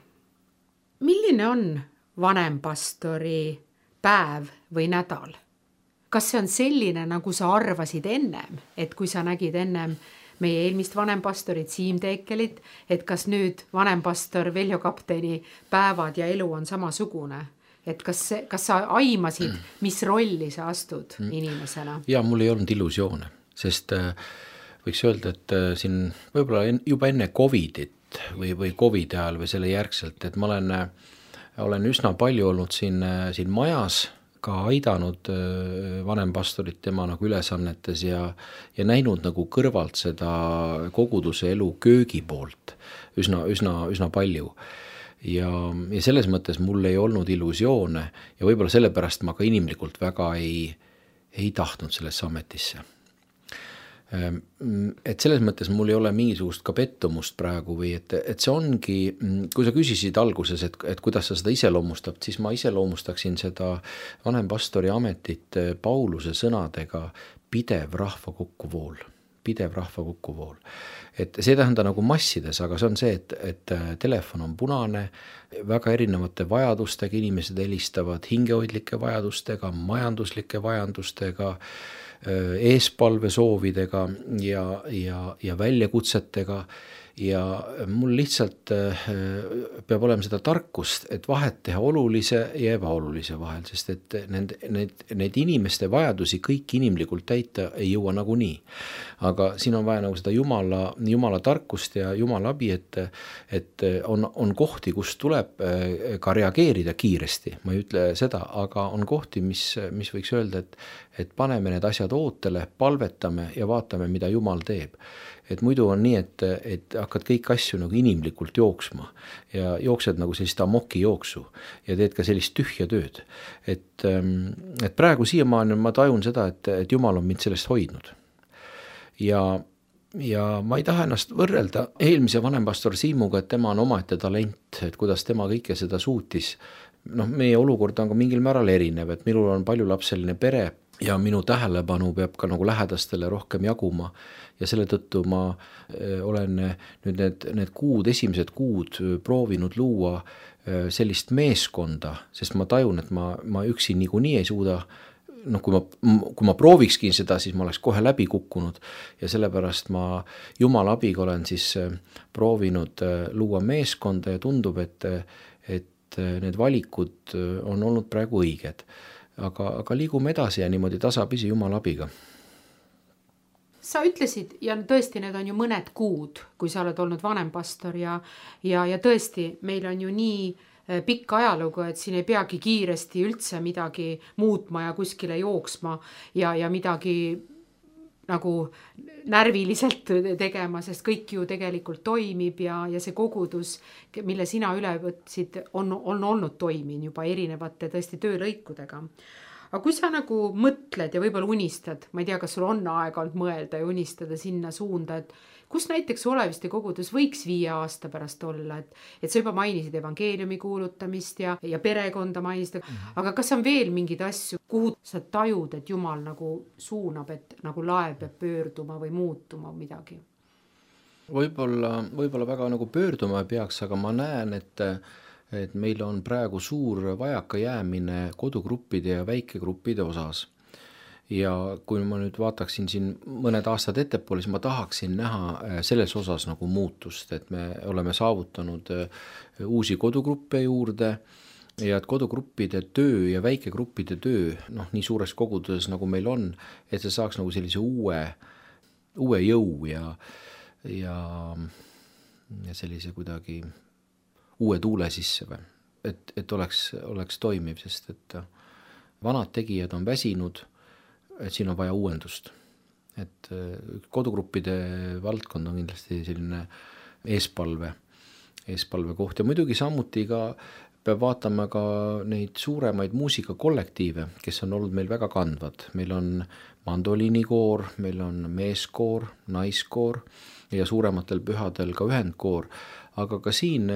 B: Milline on vanempastori päev või nädal? Kas see on selline, nagu sa arvasid ennem, et kui sa nägid ennem meie eelmist vanempastorit Siim Teekelit, et kas nüüd vanempastor Veljo Kapteini päevad ja elu on samasugune? Et kas, kas sa aimasid, mis rolli sa astud inimesena?
C: Ja mul ei olnud illusioone, sest võiks öelda, et siin võib-olla juba enne Covidit või, või Covidi ajal või selle järgselt, et ma olen, olen üsna palju olnud siin, siin majas, ka aidanud vanempastorit tema nagu ülesannetes ja, ja näinud nagu kõrvalt seda koguduse elu köögi poolt üsna, üsna, üsna palju. Ja, ja selles mõttes mul ei olnud illusioone ja võib-olla sellepärast ma ka inimlikult väga ei, ei tahtnud sellesse ametisse. Et selles mõttes mul ei ole mingisugust ka pettumust praegu või et, et see ongi, kui sa küsisid alguses, et, et kuidas sa seda iseloomustab, siis ma iseloomustaksin seda vanempastori ametit Pauluse sõnadega pidev rahva kokkuvool. pidev rahva kokkuvool. Et see ei tähenda nagu massides, aga see on see, et, et telefon on punane, väga erinevate vajadustega inimesed helistavad, hingehoidlike vajadustega, majanduslike vajadustega, eespalve soovidega ja, ja, ja väljakutsetega ja mul lihtsalt peab olema seda tarkust, et vahet teha olulise ja ebaolulise vahel, sest et need, need, need inimeste vajadusi kõik inimlikult täita ei jõua nagunii. Aga siin on vaja nagu seda Jumala, Jumala tarkust ja Jumala abi, et, et on, on kohti, kus tuleb ka reageerida kiiresti, ma ei ütle seda, aga on kohti, mis, mis võiks öelda, et, et paneme need asjad ootele, palvetame ja vaatame, mida Jumal teeb. Et muidu on nii, et, et hakkad kõik asju nagu inimlikult jooksma ja jooksed nagu sellist amoki jooksu ja teed ka sellist tühja tööd. Et, et praegu siiamaani ma tajun seda, et, et Jumal on mind sellest hoidnud. Ja, ja ma ei taha ennast võrrelda eelmise vanempastor Siimuga, et tema on omaette talent, et kuidas tema kõike seda suutis. Noh, meie olukord on ka mingil määral erinev, et minul on paljulapseline pere ja minu tähelepanu peab ka nagu lähedastele rohkem jaguma ja selle tõttu ma olen nüüd need, need kuud, esimesed kuud proovinud luua sellist meeskonda, sest ma tajun, et ma, ma üksi niikuinii ei suuda, noh, kui ma, kui ma proovikski seda, siis ma oleks kohe läbi kukkunud ja sellepärast ma Jumala abiga olen siis proovinud luua meeskonda ja tundub, et, et need valikud on olnud praegu õiged. Aga, aga liigume edasi ja niimoodi tasapisi Jumala abiga.
B: Sa ütlesid, ja tõesti need on ju mõned kuud, kui sa oled olnud vanempastor ja, ja, ja tõesti meil on ju nii pikk ajalugu, et siin ei peagi kiiresti üldse midagi muutma ja kuskile jooksma ja, ja midagi nagu närviliselt tegema, sest kõik ju tegelikult toimib ja, ja see kogudus, mille sina üle võtsid, on, on olnud toimin juba erinevate tõesti töölõikudega. Aga kui sa nagu mõtled ja võib-olla unistad, ma ei tea, kas sul on aega olnud mõelda ja unistada sinna suunda, et kus näiteks Oleviste kogudus võiks viie aasta pärast olla, et, et sa juba mainisid evangeeliumi kuulutamist ja, ja perekonda mainisid, mm-hmm. aga kas on veel mingid asju, kuhu sa tajud, et Jumal nagu suunab, et nagu laev peab pöörduma või muutuma midagi?
C: Võib-olla, võib-olla väga nagu pöörduma peaks, aga ma näen, et et meil on praegu suur vajaka jäämine kodugruppide ja väikegruppide osas. Ja kui ma nüüd vaataksin siin mõned aastad ettepoole, siis ma tahaksin näha selles osas nagu muutust, et me oleme saavutanud uusi kodugruppe juurde ja et kodugruppide töö ja väikegruppide töö, noh, nii suures koguduses nagu meil on, et see saaks nagu sellise uue, uue jõu ja, ja, ja sellise kuidagi uue tuule sisse või, et, et oleks, oleks toimiv, sest et vanad tegijad on väsinud, et siin on vaja uuendust. Et kodugruppide valdkond on kindlasti selline eespalve, eespalve koht ja muidugi samuti ka peab vaatama ka neid suuremaid muusikakollektiive, kes on olnud meil väga kandvad. Meil on mandoliinikoor, meil on meeskoor, naiskoor ja suurematel pühadel ka ühendkoor. Aga ka siin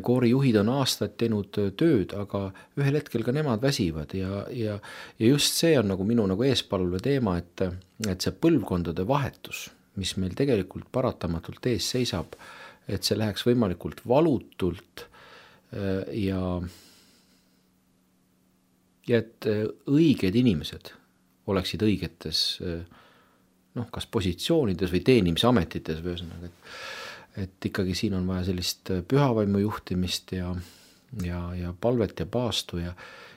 C: koorijuhid on aastaid teinud tööd, aga ühel hetkel ka nemad väsivad ja, ja, ja just see on nagu minu nagu eespalve teema, et, et see põlvkondade vahetus, mis meil tegelikult paratamatult ees seisab, et see läheks võimalikult valutult ja, ja et õiged inimesed oleksid õigetes noh, kas positsioonides või teenimisametites või ühesõnaga, et et ikkagi siin on vaja sellist pühavaimu juhtimist ja, ja, ja palvet ja paastu ja,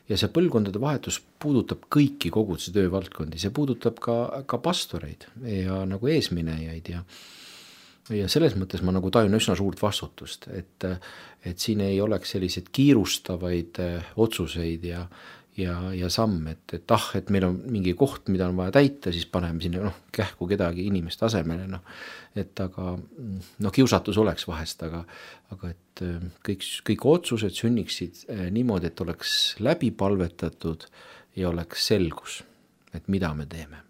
C: ja see põlvkondade vahetus puudutab kõiki koguduse töövaldkondi, see puudutab ka, ka pastoreid ja nagu eesminejaid ja, ja selles mõttes ma nagu tajun üsna suurt vastutust, et, et siin ei oleks selliseid kiirustavaid otsuseid ja ja, ja samm, et, et ah, et meil on mingi koht, mida on vaja täita, siis paneme sinna noh, kähku kedagi inimest asemele, noh, et aga noh, kiusatus oleks vahest, aga, aga et kõik, kõik otsused sünniksid niimoodi, et oleks läbi palvetatud ja oleks selgus, et mida me teeme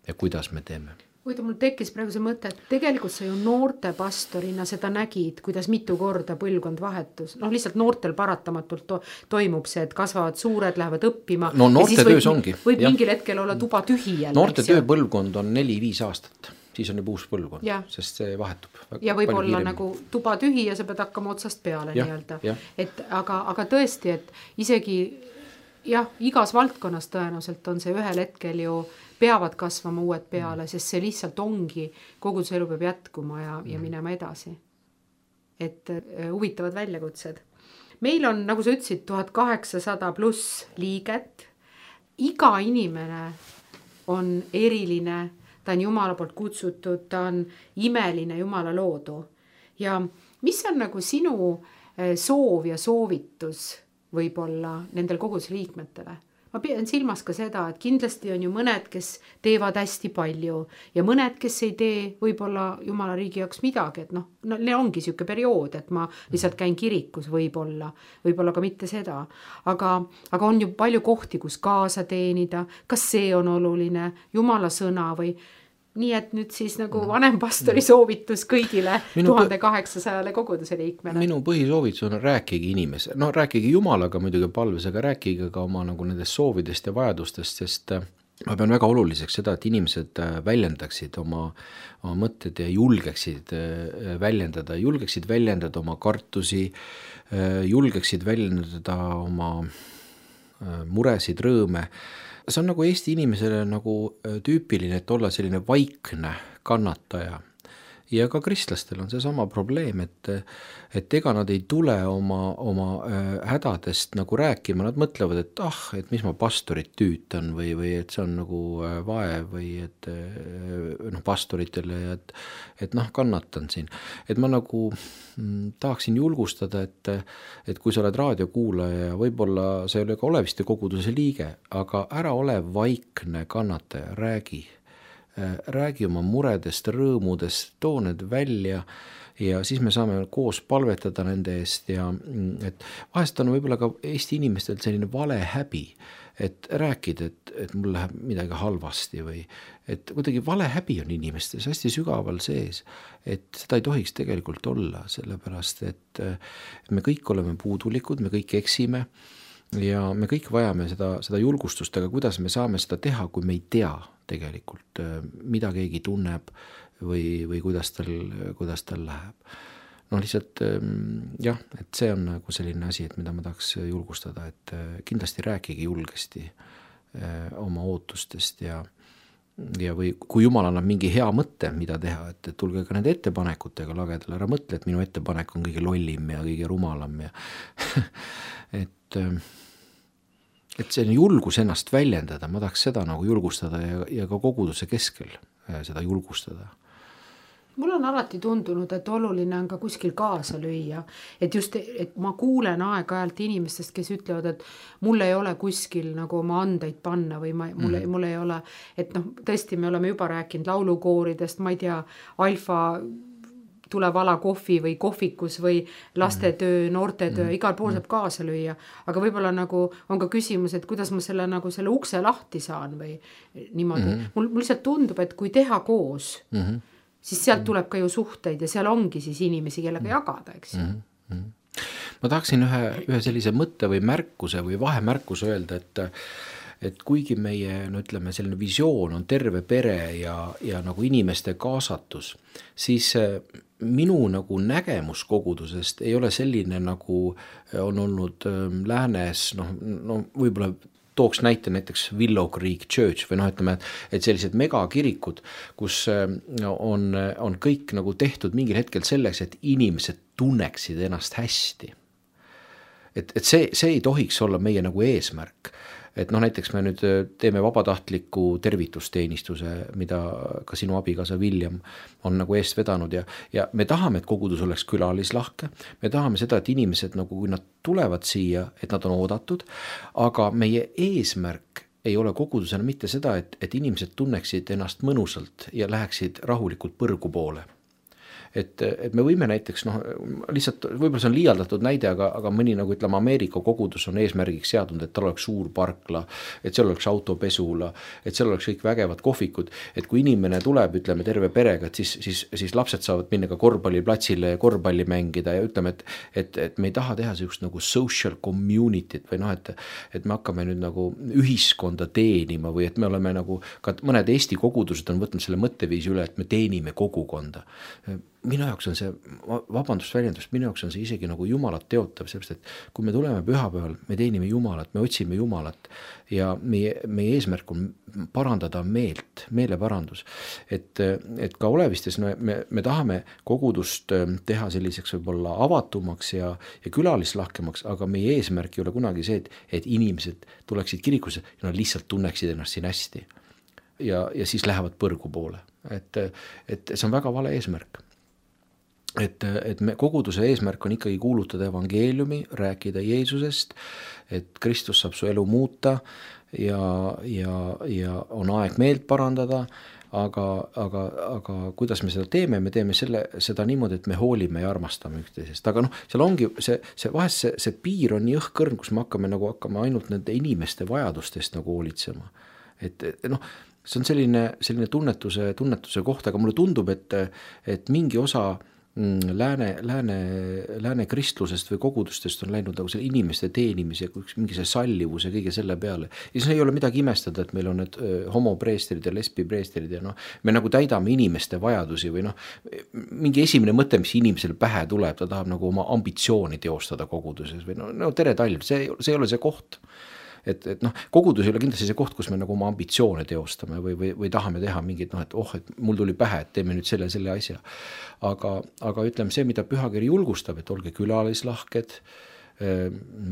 C: ja kuidas me teeme.
B: Kuida, mul tekkis praegu see mõte, et tegelikult sa ju noorte pastorina seda nägid, kuidas mitu korda põlvkond vahetus. Noh, lihtsalt noortel paratamatult to- toimub see, et kasvavad suured, lähevad õppima.
C: No noorte töös
B: võib,
C: ongi.
B: Võib ja. mingil hetkel olla tuba tühi jälle.
C: Noorte tööpõlvkond on neli-viis aastat, siis on juba uus põlvkond,
B: ja.
C: sest see vahetub.
B: Ja võib olla kiirem. Nagu tuba tühi ja sa pead hakkama otsast peale ja, nii-öelda. Et aga, aga tõesti, et isegi jah, igas valdkonnas tõenäoliselt on see ühel hetkel ju peavad kasvama uued peale, sest see lihtsalt ongi, koguduse elu peab jätkuma ja, ja minema edasi. Et uh, huvitavad väljakutsed. Meil on, nagu sa ütlesid, tuhat kaheksasada pluss liiget. Iga inimene on eriline, ta on Jumala poolt kutsutud, ta on imeline Jumala loodu. Ja mis on nagu sinu soov ja soovitus võib-olla nendel koguduse liikmetele? Ma pean silmas ka seda, et kindlasti on ju mõned, kes teevad hästi palju ja mõned, kes ei tee võib-olla Jumala riigi jaoks midagi, et noh, no, ne ongi siuke periood, et ma lihtsalt käin kirikus võib-olla, võib-olla ka mitte seda, aga, aga on ju palju kohti, kus kaasa teenida, kas see on oluline, Jumala sõna või nii, et nüüd siis nagu vanem pastori soovitus kõigile tuhat kaheksasada koguduse liikmele.
C: Minu põhisoovitus on rääkigi inimese, no rääkigi Jumalaga muidugi palves, aga rääkige ka oma nagu nendest soovidest ja vajadustest, sest ma pean väga oluliseks seda, et inimesed väljendaksid oma, oma mõtted ja julgeksid väljendada, julgeksid väljendada oma kartusi, julgeksid väljendada oma muresid, rõõme. See on nagu Eesti inimesele nagu tüüpiline, et olla selline vaikne kannataja. Ja ka kristlastel on see sama probleem, et, et ega nad ei tule oma, oma hädadest nagu rääkima, nad mõtlevad, et ah, et mis ma pastorit tüütan või, või et see on nagu vaev või et noh, pastoritele, et, et noh, kannatan siin. Et ma nagu mm, tahaksin julgustada, et, et kui sa oled raadiokuulaja ja võib-olla sa ei ole ka Oleviste koguduse liige, aga ära ole vaikne kannataja, räägi. Räägi oma muredest, rõõmudest, too need välja ja siis me saame koos palvetada nende eest ja et vahest on võib-olla ka Eesti inimestel selline vale häbi, et rääkida, et, et mul läheb midagi halvasti või et kuidagi vale häbi on inimestes hästi sügaval sees, et seda ei tohiks tegelikult olla, sellepärast et me kõik oleme puudulikud, me kõik eksime ja me kõik vajame seda, seda julgustust, aga kuidas me saame seda teha, kui me ei tea tegelikult, mida keegi tunneb või, või kuidas tal, kuidas tal läheb. No lihtsalt jah, et see on nagu selline asi, et mida ma tahaks julgustada, et kindlasti rääkige julgesti oma ootustest ja, ja või kui Jumal annab mingi hea mõtte, mida teha, et, et tulge ka nende ettepanekutega lagedale, ära mõtle, et minu ettepanek on kõige lollim ja kõige rumalam ja et et see on julgus ennast väljendada, ma tahaks seda nagu julgustada ja, ja ka koguduse keskel seda julgustada.
B: Mul on alati tundunud, et oluline on ka kuskil kaasa lüüa, et just, et ma kuulen aeg-ajalt inimestest, kes ütlevad, et mul ei ole kuskil nagu oma andeid panna või ma, mul, mm. mul ei ole, et noh, tõesti me oleme juba rääkinud laulukooridest, ma ei tea, alfa tule vala kohvi või kohvikus või lastetöö, noortetöö, igal pool saab kaasa lüüa. Aga võib-olla nagu on ka küsimus, et kuidas ma selle, nagu selle ukse lahti saan või niimoodi. Mm-hmm. Mul, mul lihtsalt tundub, et kui teha koos, mm-hmm. siis sealt tuleb ka ju suhteid ja seal ongi siis inimesi, kellega mm-hmm. jagada, eks ju. Mm-hmm.
C: Ma tahaksin ühe, ühe sellise mõtte või märkuse või vahemärkuse öelda, et et kuigi meie, no ütleme, selline visioon on terve pere ja, ja nagu inimeste kaasatus, siis minu nagu nägemus kogudusest ei ole selline, nagu on olnud läänes, noh, no võib-olla tooks näite näiteks Willow Creek Church või noh, ütleme, et sellised megakirikud, kus on, on kõik nagu tehtud mingil hetkel selleks, et inimesed tunneksid ennast hästi. Et, et see, see ei tohiks olla meie nagu eesmärk. Et noh, näiteks me nüüd teeme vabatahtliku tervitusteenistuse, mida ka sinu abikaasa William on nagu eest vedanud ja, ja me tahame, et kogudus oleks külalislahke, me tahame seda, et inimesed nagu, kui nad tulevad siia, et nad on oodatud, aga meie eesmärk ei ole kogudusena mitte seda, et, et inimesed tunneksid ennast mõnusalt ja läheksid rahulikult põrgu poole. Et, et me võime näiteks, noh, lihtsalt võib-olla see on liialdatud näide, aga, aga mõni nagu ütleme Ameerika kogudus on eesmärgiks seadnud, et tal oleks suur parkla, et seal oleks autopesula, et seal oleks kõik vägevad kohvikud, et kui inimene tuleb, ütleme terve perega, et siis, siis, siis lapsed saavad minna ka korvpalliplatsile ja korvpalli mängida ja ütleme, et, et, et me ei taha teha sellist nagu social community't või noh, et, et me hakkame nüüd nagu ühiskonda teenima või et me oleme nagu, ka mõned Eesti kogudused on võtnud selle mõtteviisi üle, et me teenime kogukonda. Minu jaoks on see, vabandust väljendust, minu jaoks on see isegi nagu Jumalat teotav, sellepärast, et kui me tuleme pühapäeval, me teenime Jumalat, me otsime Jumalat ja meie, meie eesmärk on parandada meelt, meeleparandus. Et, et ka Olevistes me, me, me tahame kogudust teha selliseks võib-olla avatumaks ja, ja külalislahkemaks, aga meie eesmärk ei ole kunagi see, et, et inimesed tuleksid kirikusse ja nad lihtsalt tunneksid ennast siin hästi. Ja, ja siis lähevad põrgu poole. Et, et see on väga vale eesmärk. Et, et me, koguduse eesmärk on ikkagi kuulutada evangeeliumi, rääkida Jeesusest, et Kristus saab su elu muuta ja, ja, ja on aeg meelt parandada, aga, aga, aga kuidas me seda teeme, me teeme selle, seda niimoodi, et me hoolime ja armastame üksteisest. Aga noh, seal ongi see, see vahest see, see piir on nii õhkõrn, kus me hakkame nagu hakkame ainult nende inimeste vajadustest nagu hoolitsema. Et, et noh, see on selline, selline tunnetuse, tunnetuse koht, aga mulle tundub, et, et mingi osa Lääne, lääne, lääne kristlusest või kogudustest on läinud nagu selle inimeste teenimise, mingi see sallivus ja kõige selle peale. Ja siis ei ole midagi imestada, et meil on need homopreesterid ja lesbipreesterid ja noh, me nagu täidame inimeste vajadusi või noh, mingi esimene mõte, mis inimesele pähe tuleb, ta tahab nagu oma ambitsiooni teostada koguduses või no, no tere talv, see, see ei ole see koht. Et, et noh, kogudus ei ole kindlasti see koht, kus me nagu oma ambitsioone teostame või, või, või tahame teha mingit, noh, et oh, et mul tuli pähe, et teeme nüüd selle, selle asja. Aga, aga ütleme see, mida pühakiri julgustab, et olge külalislahked,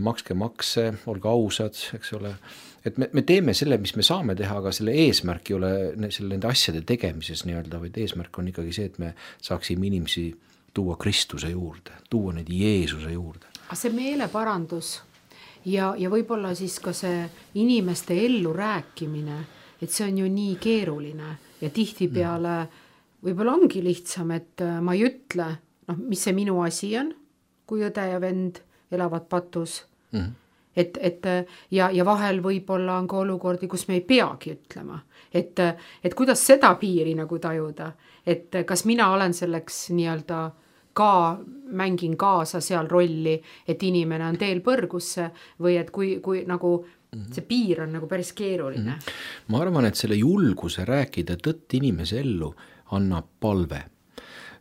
C: makske makse, olge ausad, eks ole. Et me, me teeme selle, mis me saame teha, aga selle eesmärk ei ole selle nende asjade tegemises nii-öelda, vaid eesmärk on ikkagi see, et me saaksime inimesi tuua Kristuse juurde, tuua neid Jeesuse juurde.
B: Aga see meeleparandus ja, ja võib-olla siis ka see inimeste ellu rääkimine, et see on ju nii keeruline ja tihti peale võib-olla ongi lihtsam, et ma ei ütle, noh, mis see minu asi on, kui õde ja vend elavad patus. Mm-hmm. Et, et ja, ja vahel võib-olla on ka olukordi, kus me ei peagi ütlema. Et, et kuidas seda piiri nagu tajuda, et kas mina olen selleks nii-öelda ka mängin kaasa seal rolli, et inimene on teel põrgusse või et kui, kui nagu see piir on nagu päris keeruline.
C: Ma arvan, et selle julguse rääkida tõtt inimese ellu annab palve.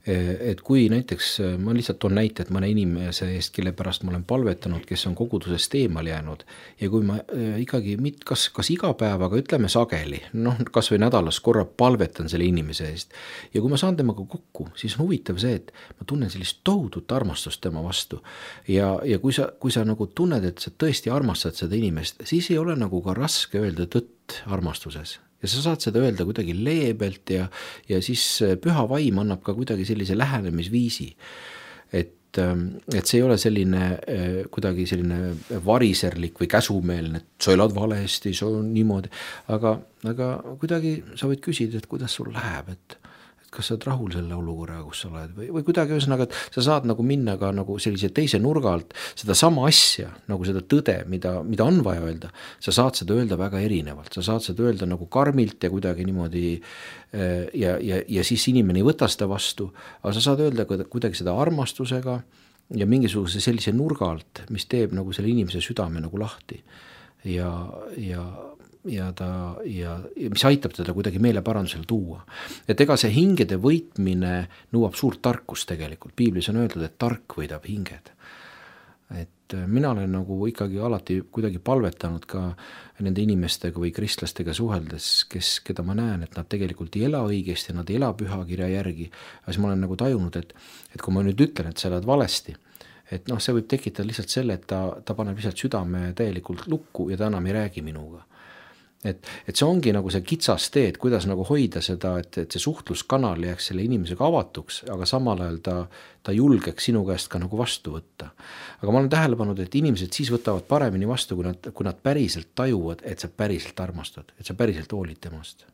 C: Et kui näiteks, ma lihtsalt toon näite, et mõne inimese eest, kelle pärast ma olen palvetanud, kes on kogudusest eemal jäänud ja kui ma ikkagi, kas, kas iga päev, aga ütleme sageli, noh, kas või nädalas korra palvetan selle inimese eest ja kui ma saan temaga kokku, siis on huvitav see, et ma tunnen sellist tohutut armastust tema vastu ja, ja kui sa, kui sa nagu tunned, et sa tõesti armastad seda inimest, siis ei ole nagu ka raske öelda tõtt armastuses. Ja sa saad seda öelda kuidagi leebelt ja, ja siis püha vaim annab ka kuidagi sellise lähenemisviisi. Et, et see ei ole selline kuidagi selline variserlik või käsumeelne, et sa elad valesti, sa on niimoodi, aga, aga kuidagi sa võid küsida, et kuidas sul läheb, et kas sa oled rahul selle olukorraga, kus sa oled või, või kuidagi ühesõnaga, et sa saad nagu minna ka nagu sellise teise nurga alt seda sama asja, nagu seda tõde, mida, mida on vaja öelda, sa saad seda öelda väga erinevalt, sa saad seda öelda nagu karmilt ja kuidagi niimoodi ja, ja, ja siis inimene ei võta seda vastu, aga sa saad öelda kuidagi seda armastusega ja mingisuguse sellise nurga alt, mis teeb nagu selle inimese südame nagu lahti ja, ja ja ta ja, ja mis aitab teda kuidagi meeleparandusele tuua. Et ega see hingede võitmine nõuab suurt tarkust tegelikult. Piiblis on öeldud, et tark võidab hinged. Et mina olen nagu ikkagi alati kuidagi palvetanud ka nende inimestega või kristlastega suheldes, kes, keda ma näen, et nad tegelikult ei ela õigesti, nad ei ela pühakirja järgi. Aga siis ma olen nagu tajunud, et, et kui ma nüüd ütlen, et sa elad valesti, et noh, see võib tekitada lihtsalt selle, et ta, ta paneb lihtsalt südame täielikult lukku ja ta enam ei räägi minuga. Et, et see ongi nagu see kitsas tee, et kuidas nagu hoida seda, et, et see suhtluskanal jääks selle inimesega avatuks, aga samal ajal ta, ta julgeks sinu käest ka nagu vastu võtta. Aga ma olen tähele pannud, et inimesed siis võtavad paremini vastu, kui nad, kui nad päriselt tajuvad, et sa päriselt armastad, et sa päriselt hoolid temast.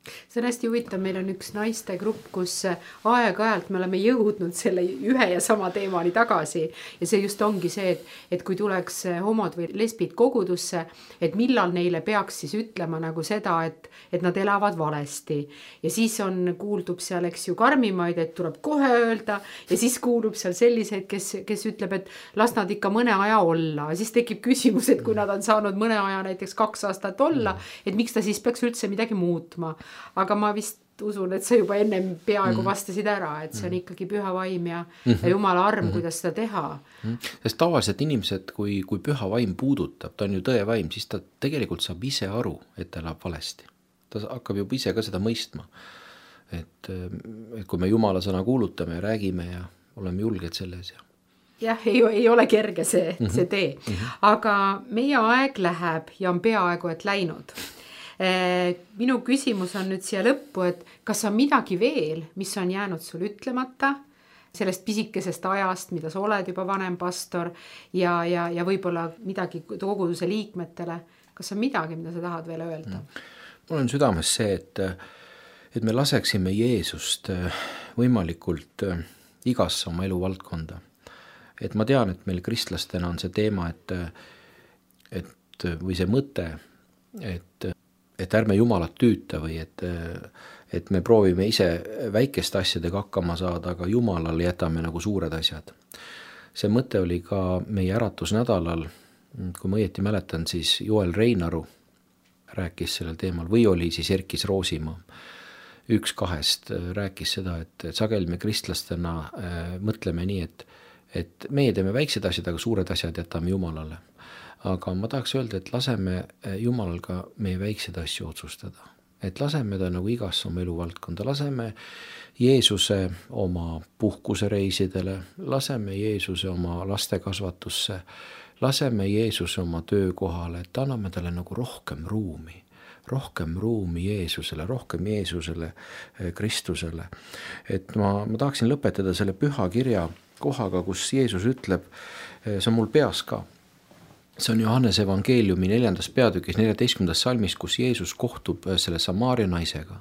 B: See on hästi huvitav, meil on üks naiste grupp, kus aeg-ajalt me oleme jõudnud selle ühe ja sama teemani tagasi ja see just ongi see, et, et kui tuleks homod või lesbid kogudusse, et millal neile peaks siis ütlema nagu seda, et, et nad elavad valesti ja siis on, kuuldub seal, eks ju, karmimaid, et tuleb kohe öelda ja siis kuulub seal selliseid, kes, kes ütleb, et las nad ikka mõne aja olla, siis tekib küsimus, et kui nad on saanud mõne aja näiteks kaks aastat olla, et miks ta siis peaks üldse midagi muutma. Aga ma vist usun, et sa juba ennem peaaegu vastasid ära, et see on ikkagi püha vaim ja, ja Jumala arm, kuidas seda teha.
C: Sest tavaliselt inimesed, kui, kui püha vaim puudutab, ta on ju tõe vaim, siis ta tegelikult saab ise aru, et ta elab valesti. Ta hakkab juba ise ka seda mõistma. Et, et kui me Jumala sõna kuulutame ja räägime ja oleme julged selles ja
B: jah, ei, ei ole kerge see, see tee. Aga meie aeg läheb ja on peaaegu et läinud. Minu küsimus on nüüd siia lõppu, et kas on midagi veel, mis on jäänud sul ütlemata sellest pisikesest ajast, mida sa oled juba vanem pastor ja, ja, ja võib-olla midagi koguduse liikmetele. Kas on midagi, mida sa tahad veel öelda?
C: Mul on südames see, et, et me laseksime Jeesust võimalikult igasse oma elu valdkonda. Et ma tean, et meil kristlastena on see teema, et, et või see mõte, et et ärme Jumalat tüüta või et, et me proovime ise väikeste asjadega hakkama saada, aga Jumalale jätame nagu suured asjad. See mõte oli ka meie äratusnädalal, kui ma õieti mäletan, siis Joel Reinaru rääkis sellel teemal või oli siis Erkis Roosimaa. Üks kahest rääkis seda, et, et sageli me kristlastena äh, mõtleme nii, et, et meie teeme väiksed asjad, aga suured asjad jätame Jumalale. Aga ma tahaks öelda, et laseme Jumalal ka meie väikseid asju otsustada. Et laseme ta nagu igasse oma eluvaldkonda, laseme Jeesuse oma puhkusereisidele, laseme Jeesuse oma lastekasvatusse, laseme Jeesuse oma töökohale, et anname talle nagu rohkem ruumi, rohkem ruumi Jeesusele, rohkem Jeesusele, Kristusele. Et ma, ma tahaksin lõpetada selle püha kirja kohaga, kus Jeesus ütleb, see on mul peas ka, see on Johannese evangeeliumi neljandas peatükis, neljateistkümnendas salmis, kus Jeesus kohtub selle Samaaria naisega.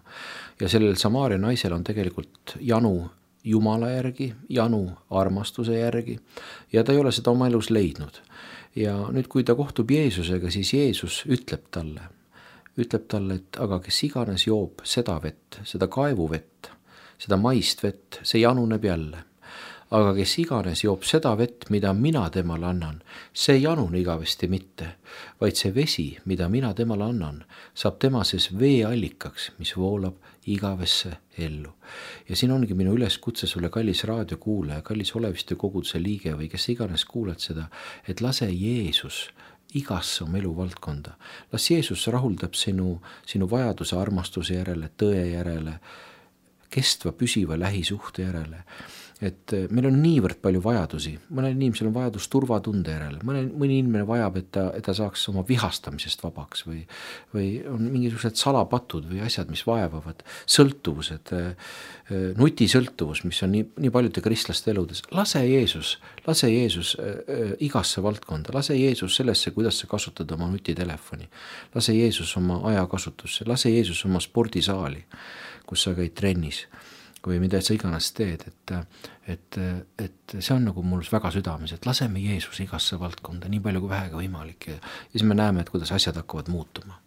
C: Ja sellel Samaaria naisel on tegelikult janu Jumala järgi, janu armastuse järgi ja ta ei ole seda oma elus leidnud. Ja nüüd, kui ta kohtub Jeesusega, siis Jeesus ütleb talle, ütleb talle, et aga kes iganes joob seda vett, seda kaevuvett, seda maist vett, see januneb jälle. Aga kes iganes joob seda vett, mida mina temale annan, see ei janune igavesti mitte, vaid see vesi, mida mina temale annan, saab tema sees veeallikaks, mis voolab igavesse ellu. Ja siin ongi minu üleskutse sulle, kallis raadiokuulaja, kallis Oleviste koguduse liige või kes iganes kuuled seda, et lase Jeesus igasse oma elu valdkonda. Las Jeesus rahuldab sinu, sinu vajaduse armastuse järele, tõe järele, kestva, püsiva lähisuhte järele. Et meil on niivõrd palju vajadusi, mõnel inimesel on vajadus turvatunde järele, mõne, mõni inimene vajab, et ta, et ta saaks oma vihastamisest vabaks või, või on mingisugused salapatud või asjad, mis vaevavad, sõltuvused, nutisõltuvus, mis on nii, nii paljude kristlaste eludes. Lase Jeesus, lase Jeesus igasse valdkonda, lase Jeesus sellesse, kuidas sa kasutad oma nutitelefoni, lase Jeesus oma ajakasutusse, lase Jeesus oma spordisaali, kus sa käid trennis. või mida sa iganes teed, et, et, et see on nagu mul väga südames, et laseme Jeesuse igasse valdkonda nii palju kui vähega võimalik ja, ja siis me näeme, et kuidas asjad hakkavad muutuma.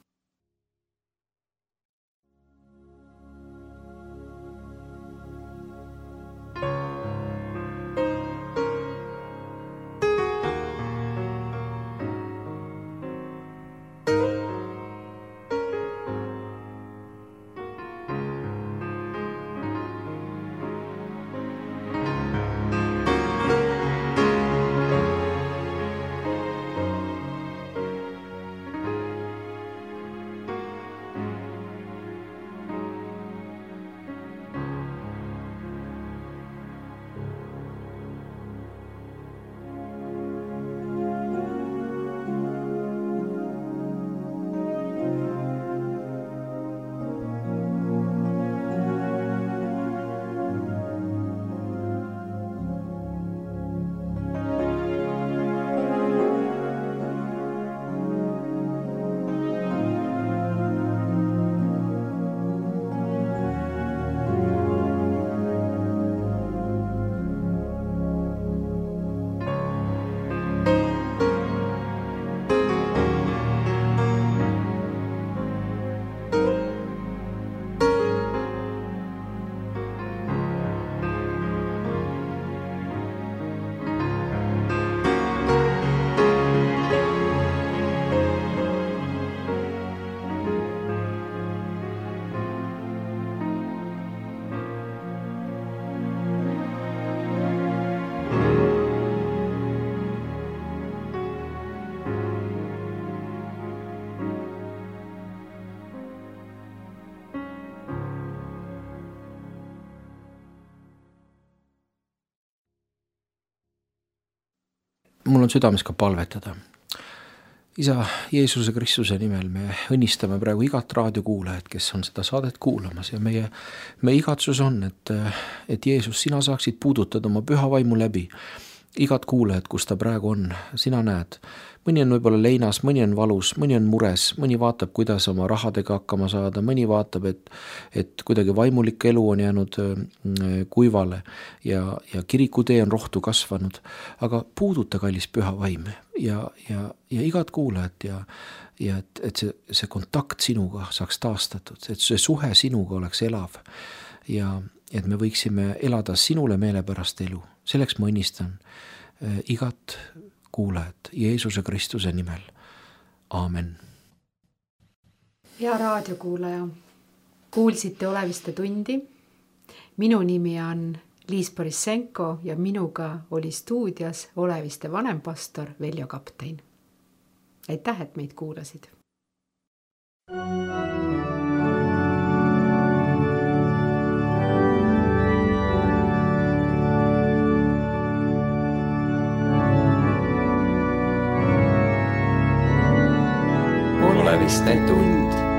C: Mul on südames ka palvetada. Isa Jeesuse Kristuse nimel me õnnistame praegu igat raadiokuulajat, kes on seda saadet kuulamas ja meie, meie igatsus on, et, et Jeesus, sina saaksid puudutada oma püha vaimu läbi igat kuulajat, kus ta praegu on, sina näed. Mõni on võib-olla leinas, mõni on valus, mõni on mures, mõni vaatab, kuidas oma rahadega hakkama saada, mõni vaatab, et, et kuidagi vaimulik elu on jäänud kuivale ja, ja kirikutee on rohtu kasvanud. Aga puuduta, kallis püha vaim ja, ja, ja igat kuulajat ja, ja et, et see, see kontakt sinuga saaks taastatud, et see suhe sinuga oleks elav ja et me võiksime elada sinule meelepärast elu. Selleks ma õnnistan igat kuulajat Jeesuse Kristuse nimel. Aamen.
B: Hea raadiokuulaja, kuulsite Oleviste tundi. Minu nimi on Liis Borissenko ja minuga oli stuudios Oleviste vanempastor Veljo Kaptein. Aitäh, et meid kuulasid.
A: Oleviste tund.